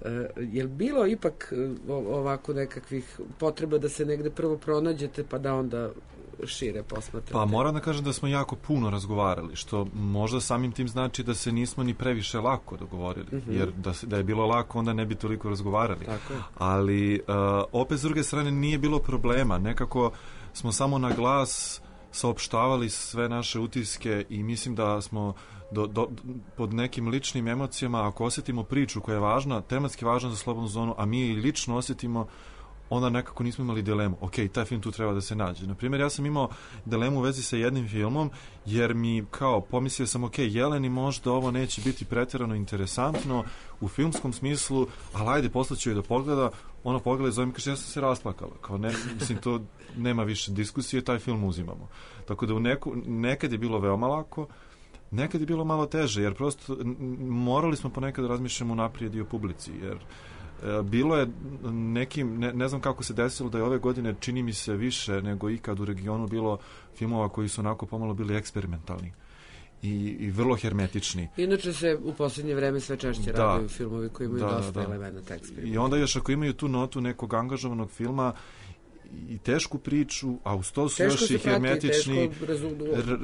E: Uh, je li bilo ipak uh, ovako nekakvih potreba da se negde prvo pronađete pa da onda šire posmatrate?
T: Pa moram da kažem da smo jako puno razgovarali, što možda samim tim znači da se nismo ni previše lako dogovorili,
E: Mhm.
T: jer da, se- da je bilo lako onda ne bi toliko razgovarali.
E: Tako je.
T: Ali uh, opet s druge strane nije bilo problema, nekako smo samo na glas saopštavali sve naše utiske i mislim da smo do, do, pod nekim ličnim emocijama, ako osjetimo priču koja je važna, tematski važna za slobodnu zonu, a mi je i lično osjetimo, onda nekako nismo imali dilemu. Ok, taj film tu treba da se nađe. Naprimjer, ja sam imao dilemu u vezi sa jednim filmom, jer mi kao pomislio sam, ok, Jeleni možda ovo neće biti pretjerano interesantno u filmskom smislu, ali ajde, poslaću joj da pogleda, ona pogleda i zove mi, kaže, ja sam se rasplakala. Kao ne, mislim, to nema više diskusije, taj film uzimamo. Tako da u neku, nekad je bilo veoma lako, nekad je bilo malo teže, jer prosto n- n- morali smo ponekad da razmišljamo naprijed i o publici, jer e, bilo je nekim, ne, ne znam kako se desilo da je ove godine, čini mi se više nego ikad u regionu bilo filmova koji su onako pomalo bili eksperimentalni i, i vrlo hermetični.
E: Inače se u posljednje vreme sve češće
T: Da.
E: raduju filmovi koji imaju
T: Da,
E: dosta
T: da.
E: elemenata eksperimenta.
T: I onda još ako imaju tu notu nekog angažovanog filma i tešku priču, a uz to su
E: Teško
T: još
E: se
T: i
E: prati,
T: hermetični,
E: teško rezu-
T: r-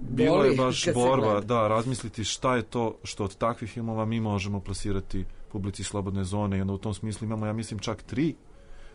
T: bilo je
E: boli
T: baš
E: kad se
T: borba,
E: gleda.
T: da, razmisliti šta je to što od takvih filmova mi možemo plasirati publici slobodne zone i onda u tom smislu imamo, ja mislim, čak tri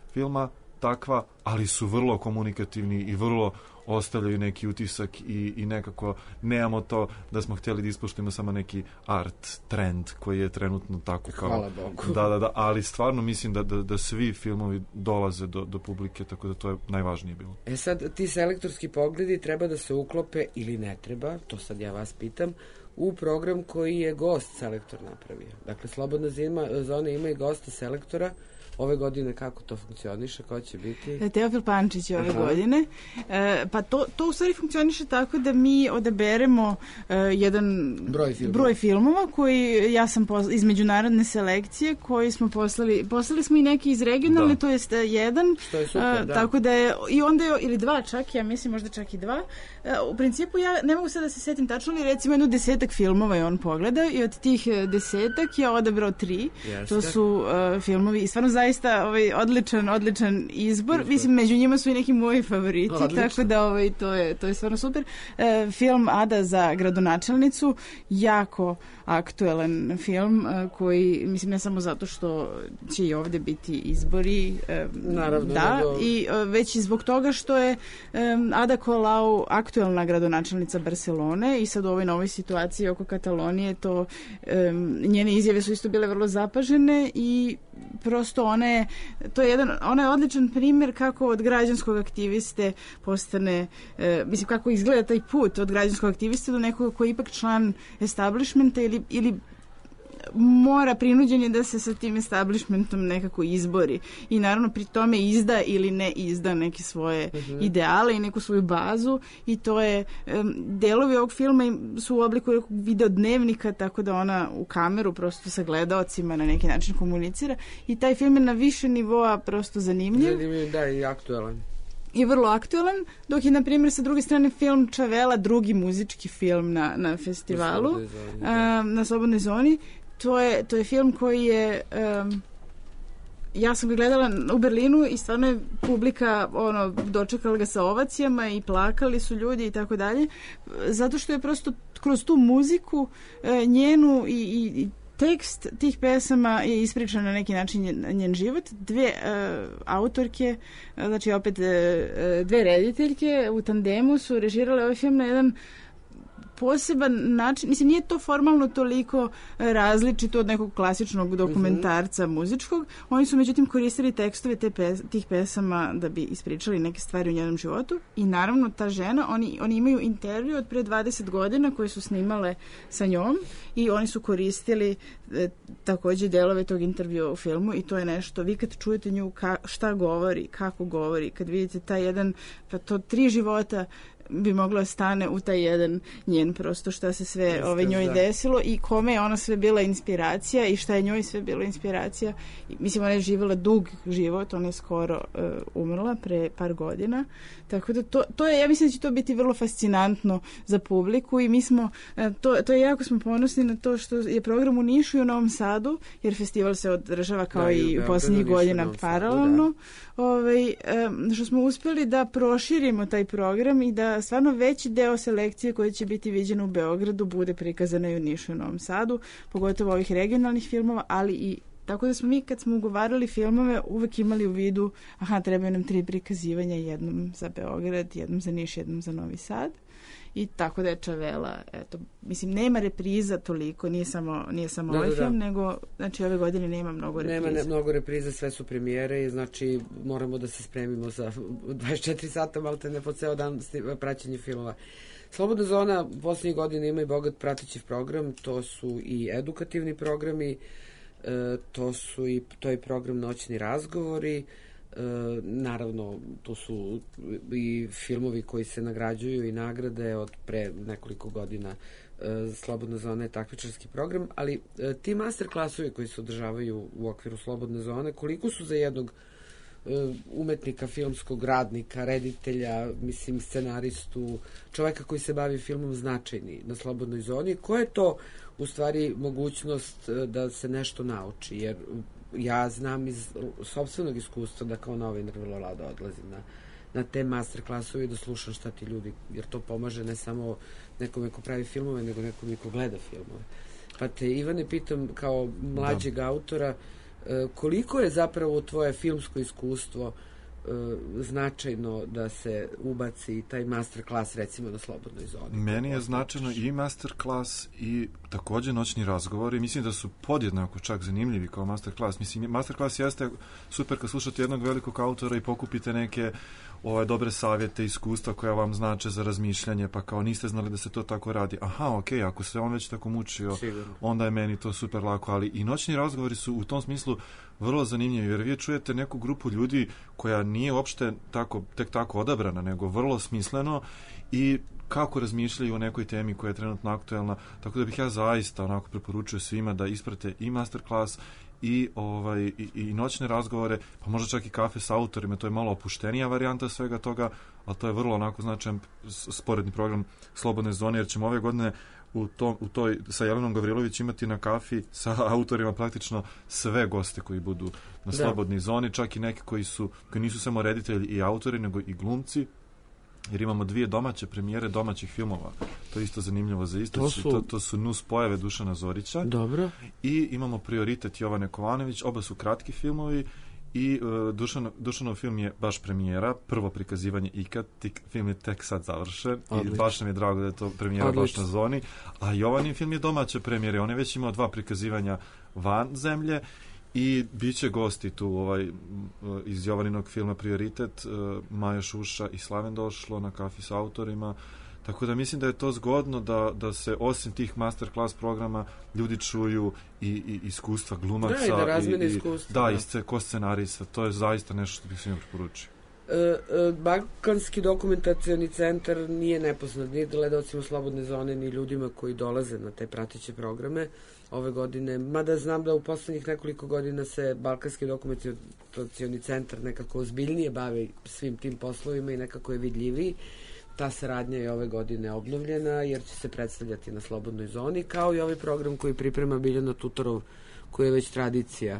T: filma takva, ali su vrlo komunikativni i vrlo ostavljaju neki utisak i, i nekako nemamo to da smo htjeli da ispoštujemo samo neki art trend koji je trenutno tako kao...
E: Hvala Bogu.
T: Da, da, da, ali stvarno mislim da, da, da svi filmovi dolaze do, do publike, tako da to je najvažnije bilo.
E: E sad, ti selektorski pogledi treba da se uklope ili ne treba, to sad ja vas pitam, u program koji je gost selektor napravio. Dakle, Slobodna zima, zona ima i gosta selektora. Ove godine kako to funkcioniše, ko će biti?
S: Teofil Pančić je ove
E: Aha.
S: godine. E, pa to, to u stvari funkcioniše tako da mi odaberemo e, jedan
E: Broj filmova.
S: broj filmova koji ja sam pos, iz međunarodne selekcije koji smo poslali, poslali smo i neki iz regionalne,
E: Da.
S: to jest e, jedan.
E: Što je super,
S: E,
E: da.
S: Tako da je, i onda je, ili dva čak, ja mislim možda čak i dva. E, u principu ja ne mogu sad da se setim tačno, ali recimo jedno desetak filmova je on pogledao i od tih e, desetak je odabrao tri.
E: Jeste.
S: To su e, filmovi i stvarno zaista ovaj odličan odličan izbor. Mislim među njima su i neki moji favoriti,
E: Odlično.
S: tako da ovaj to je to je stvarno super. E, film Ada za gradonačelnicu, jako aktuelan film e, koji mislim ne samo zato što će i ovdje biti izbori, e,
E: Naravno,
S: da,
E: nego-
S: i e, već i zbog toga što je e, Ada Colau aktuelna gradonačelnica Barcelone i sad u ovoj novoj situaciji oko Katalonije to e, njene izjave su isto bile vrlo zapažene i prosto ona je, to je jedan, ona je odličan primjer kako od građanskog aktiviste postane, e, mislim kako izgleda taj put od građanskog aktiviste do nekoga koji je ipak član establishmenta ili, ili mora prinuđen je da se sa tim establishmentom nekako izbori i naravno pri tome izda ili ne izda neke svoje
E: Mhm.
S: ideale i neku svoju bazu i to je em, delovi ovog filma im- su u obliku nekog videodnevnika tako da ona u kameru prosto sa gledaocima na neki način komunicira i taj film je na više nivoa prosto zanimljiv
E: Zanimljiv, da, i aktuelan.
S: i vrlo aktuelan, dok je, na primjer, sa druge strane film Čavela, drugi muzički film na, na festivalu,
E: Na Slobodnoj zoni,
S: a, na Slobodnoj zoni. To je, to je film koji je... um, ja sam ga gledala u Berlinu i stvarno je publika ono, dočekala ga sa ovacijama i plakali su ljudi i tako dalje, zato što je prosto kroz tu muziku e, njenu i, i, i tekst tih pesama je ispričan na neki način njen, njen život. Dve e, autorke, e, znači opet e, e, dve rediteljke u tandemu su režirale ovaj film na jedan poseban način, mislim nije to formalno toliko različito od nekog klasičnog dokumentarca mm-hmm. muzičkog, oni su međutim koristili tekstove te pes, tih pesama da bi ispričali neke stvari u njenom životu i naravno ta žena, oni, oni imaju intervju od pre dvadeset godina koje su snimale sa njom i oni su koristili e, takođe delove tog intervjua u filmu i to je nešto, vi kad čujete nju ka, šta govori, kako govori, kad vidite taj jedan, pa to tri života bi mogla stane u taj jedan njen prosto šta se sve
E: Jeste,
S: ovaj, njoj
E: da.
S: desilo i kome je ona sve bila inspiracija i šta je njoj sve bila inspiracija. I, mislim, ona je živjela dug život, ona je skoro uh, umrla pre par godina. Tako da to, to je, ja mislim da će to biti vrlo fascinantno za publiku i mi smo, uh, to, to je jako smo ponosni na to što je program u Nišu i u Novom Sadu, jer festival se održava kao
E: Da, i u
S: i u
E: Beogradu,
S: posljednjih
E: Nišu i
S: godina
E: Novom Sadu,
S: paralelno. Ovaj, um, što smo uspjeli da proširimo taj program i da stvarno veći deo selekcije koja će biti viđena u Beogradu bude prikazana i u Nišu i Novom Sadu, pogotovo ovih regionalnih filmova, ali i tako da smo mi kad smo ugovarali filmove uvek imali u vidu, aha, trebaju nam tri prikazivanja, jednom za Beograd, jednom za Niš, jednom za Novi Sad. I tako da je Čavela, eto, mislim, nema repriza toliko, nije samo, nije samo
E: Da,
S: ovaj
E: da, da.
S: film, nego, znači, ove godine nema mnogo repriza.
E: Nema ne, mnogo repriza, sve su premijere i znači moramo da se spremimo za dvadeset četiri sata, malte ne po ceo dan sni- praćenje filmova. Slobodna zona posljednjih godina ima i bogat prateći program, to su i edukativni programi, e, to su i, to je program Noćni razgovori, E, naravno tu su i filmovi koji se nagrađuju i nagrade od pre nekoliko godina. e, Slobodna zona je takmičarski program, ali e, ti master klasovi koji se održavaju u okviru Slobodne zone, koliko su za jednog e, umetnika, filmskog radnika, reditelja, mislim scenaristu, čoveka koji se bavi filmom značajni na Slobodnoj zoni, koja je to u stvari mogućnost e, da se nešto nauči, jer ja znam iz sopstvenog iskustva da kao novinar vrlo rado odlazim na, na te master klasove i da slušam šta ti ljudi, jer to pomaže ne samo nekome ko pravi filmove, nego nekome ko gleda filmove. Pa te, Ivane, pitam kao mlađeg da. autora, koliko je zapravo tvoje filmsko iskustvo značajno da se ubaci taj master klas recimo na Slobodnoj zoni?
T: Meni je značajno i master klas i takođe noćni razgovori. Mislim da su podjednako čak zanimljivi kao master klas. Mislim, master klas jeste super kad slušate jednog velikog autora i pokupite neke ove dobre savjete, iskustva koja vam znače za razmišljanje, pa kao niste znali da se to tako radi. Aha, okej, okay, ako se on već tako mučio, sigurno, onda je meni to super lako, ali i noćni razgovori su u tom smislu vrlo zanimljivi, jer vi čujete neku grupu ljudi koja nije uopšte tako, tek tako odabrana, nego vrlo smisleno i kako razmišljaju o nekoj temi koja je trenutno aktuelna, tako da bih ja zaista onako preporučio svima da isprate i masterclass i ovaj i, i noćne razgovore, pa možda čak i kafe sa autorima, to je malo opuštenija varijanta svega toga, ali to je vrlo onako značajan sporedni program Slobodne zone, jer ćemo ove godine u, tom, u toj sa Jelenom Gavrilović imati na kafi sa autorima praktično sve goste koji budu na Slobodnoj zoni, čak i neki koji su koji nisu samo reditelji i autori, nego i glumci, jer imamo dvije domaće premijere domaćih filmova. To je isto zanimljivo za isto. To su, to, to su Nus pojave Dušana Zorića.
E: Dobro.
T: I imamo Prioritet Jovane Kovanović. Oba su kratki filmovi i uh, Dušan, Dušanov film je baš premijera, prvo prikazivanje ikad, tik, film je tek sad završen. Odlično. I baš nam je drago da je to premijera Odlično. baš na zoni. A Jovanin film je domaće premijere. On je već imao dva prikazivanja van zemlje. I bit će gosti tu ovaj, iz Jovaninog filma Prioritet, Maja Šuša i Slaven došlo na kafi sa autorima, tako da mislim da je to zgodno da, da se osim tih masterclass programa ljudi čuju i, i iskustva glumaca.
E: Da, i da razmene
T: i,
E: iskustva.
T: Da,
E: da.
T: i sce, ko scenarista, to je zaista nešto što bih svima preporučio.
E: E, e, Balkanski dokumentacioni centar nije nepoznat ni gledalcima Slobodne zone, ni ljudima koji dolaze na te prateće programe ove godine, mada znam da u poslednjih nekoliko godina se Balkanski dokumentacioni centar nekako ozbiljnije bavi svim tim poslovima i nekako je vidljiviji. Ta saradnja je ove godine obnovljena jer će se predstavljati na Slobodnoj zoni, kao i ovaj program koji priprema Biljana Tutorov, koji je već tradicija.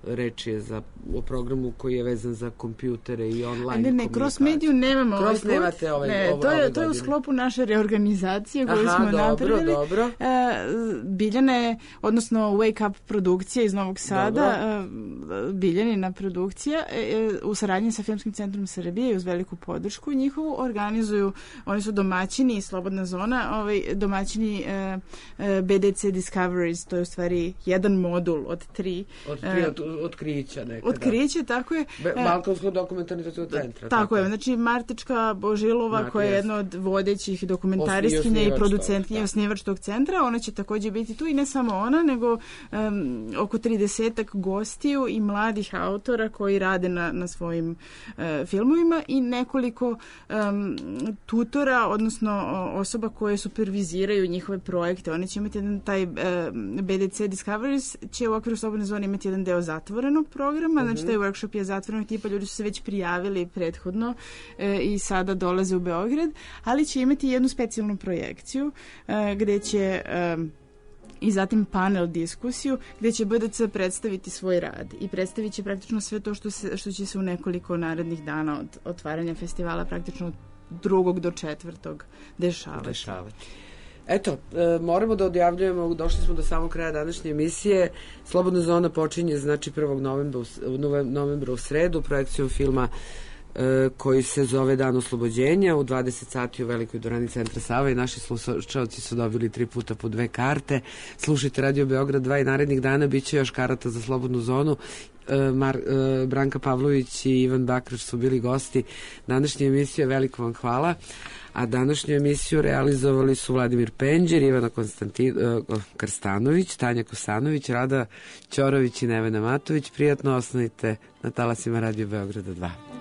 E: Reč je za, o programu koji je vezan za kompjutere i online komunikaciju. Ne, ne, cross mediju nemamo
S: cross
E: ovaj nemate ovaj,
S: ne,
E: ovo,
S: to je,
E: ove
S: to je u sklopu naše reorganizacije koju
E: Aha,
S: smo
E: dobro,
S: napravili.
E: Dobro.
S: E, Biljana je, odnosno Wake Up produkcija iz Novog Sada, e, Biljanina produkcija, e, u saradnji sa Filmskim centrom Srbije i uz veliku podršku njihovu organizuju, oni su domaćini, Slobodna zona, ovaj, domaćini e, e, B D C Discoveries, to je u stvari jedan modul od tri.
E: Od tri, od, otkrića nekada.
S: Otkriće, tako je.
E: Balkanskog dokumentarnog centra.
S: Tako je, znači Martička Božilova, Marti, koja je jedna od vodećih dokumentariskinja i producentkinja, osnivač tog centra, ona će takođe biti tu i ne samo ona, nego um, oko tridesetak gostiju i mladih autora koji rade na, na svojim uh, filmovima i nekoliko um, tutora, odnosno osoba koje superviziraju njihove projekte. Oni će imati jedan taj uh, B D C Discoveries će u okviru Slobodne zone imati jedan deo zatvorenog programa, uh-huh. znači taj workshop je zatvorenog tipa, ljudi su se već prijavili prethodno e, i sada dolaze u Beograd, ali će imati jednu specijalnu projekciju e, gde će e, i zatim panel diskusiju gde će B D C predstaviti svoj rad i predstavit će praktično sve to što, se, što će se u nekoliko narednih dana od otvaranja festivala praktično od drugog do četvrtog dešavati.
E: dešavati. Eto, e, moramo da odjavljujemo, došli smo do samog kraja današnje emisije. Slobodna zona počinje znači prvog novembra, novembra u sredu projekcijom filma e, koji se zove Dan oslobođenja u dvadeset sati u Velikoj dvorani Centra Sava i naši slušalci su dobili tri puta po dve karte. Slušajte Radio Beograd dva i narednih dana bit će još karata za Slobodnu zonu. Mar, Branka Pavlović i Ivan Bakrač su bili gosti današnje emisije, veliko vam hvala. A današnju emisiju realizovali su Vladimir Penđer, Ivana Konstantin, Krstanović, Tanja Kosanović, Rada Ćorović i Nevena Matović. Prijatno, ostanite na talasima Radio Beograda dva.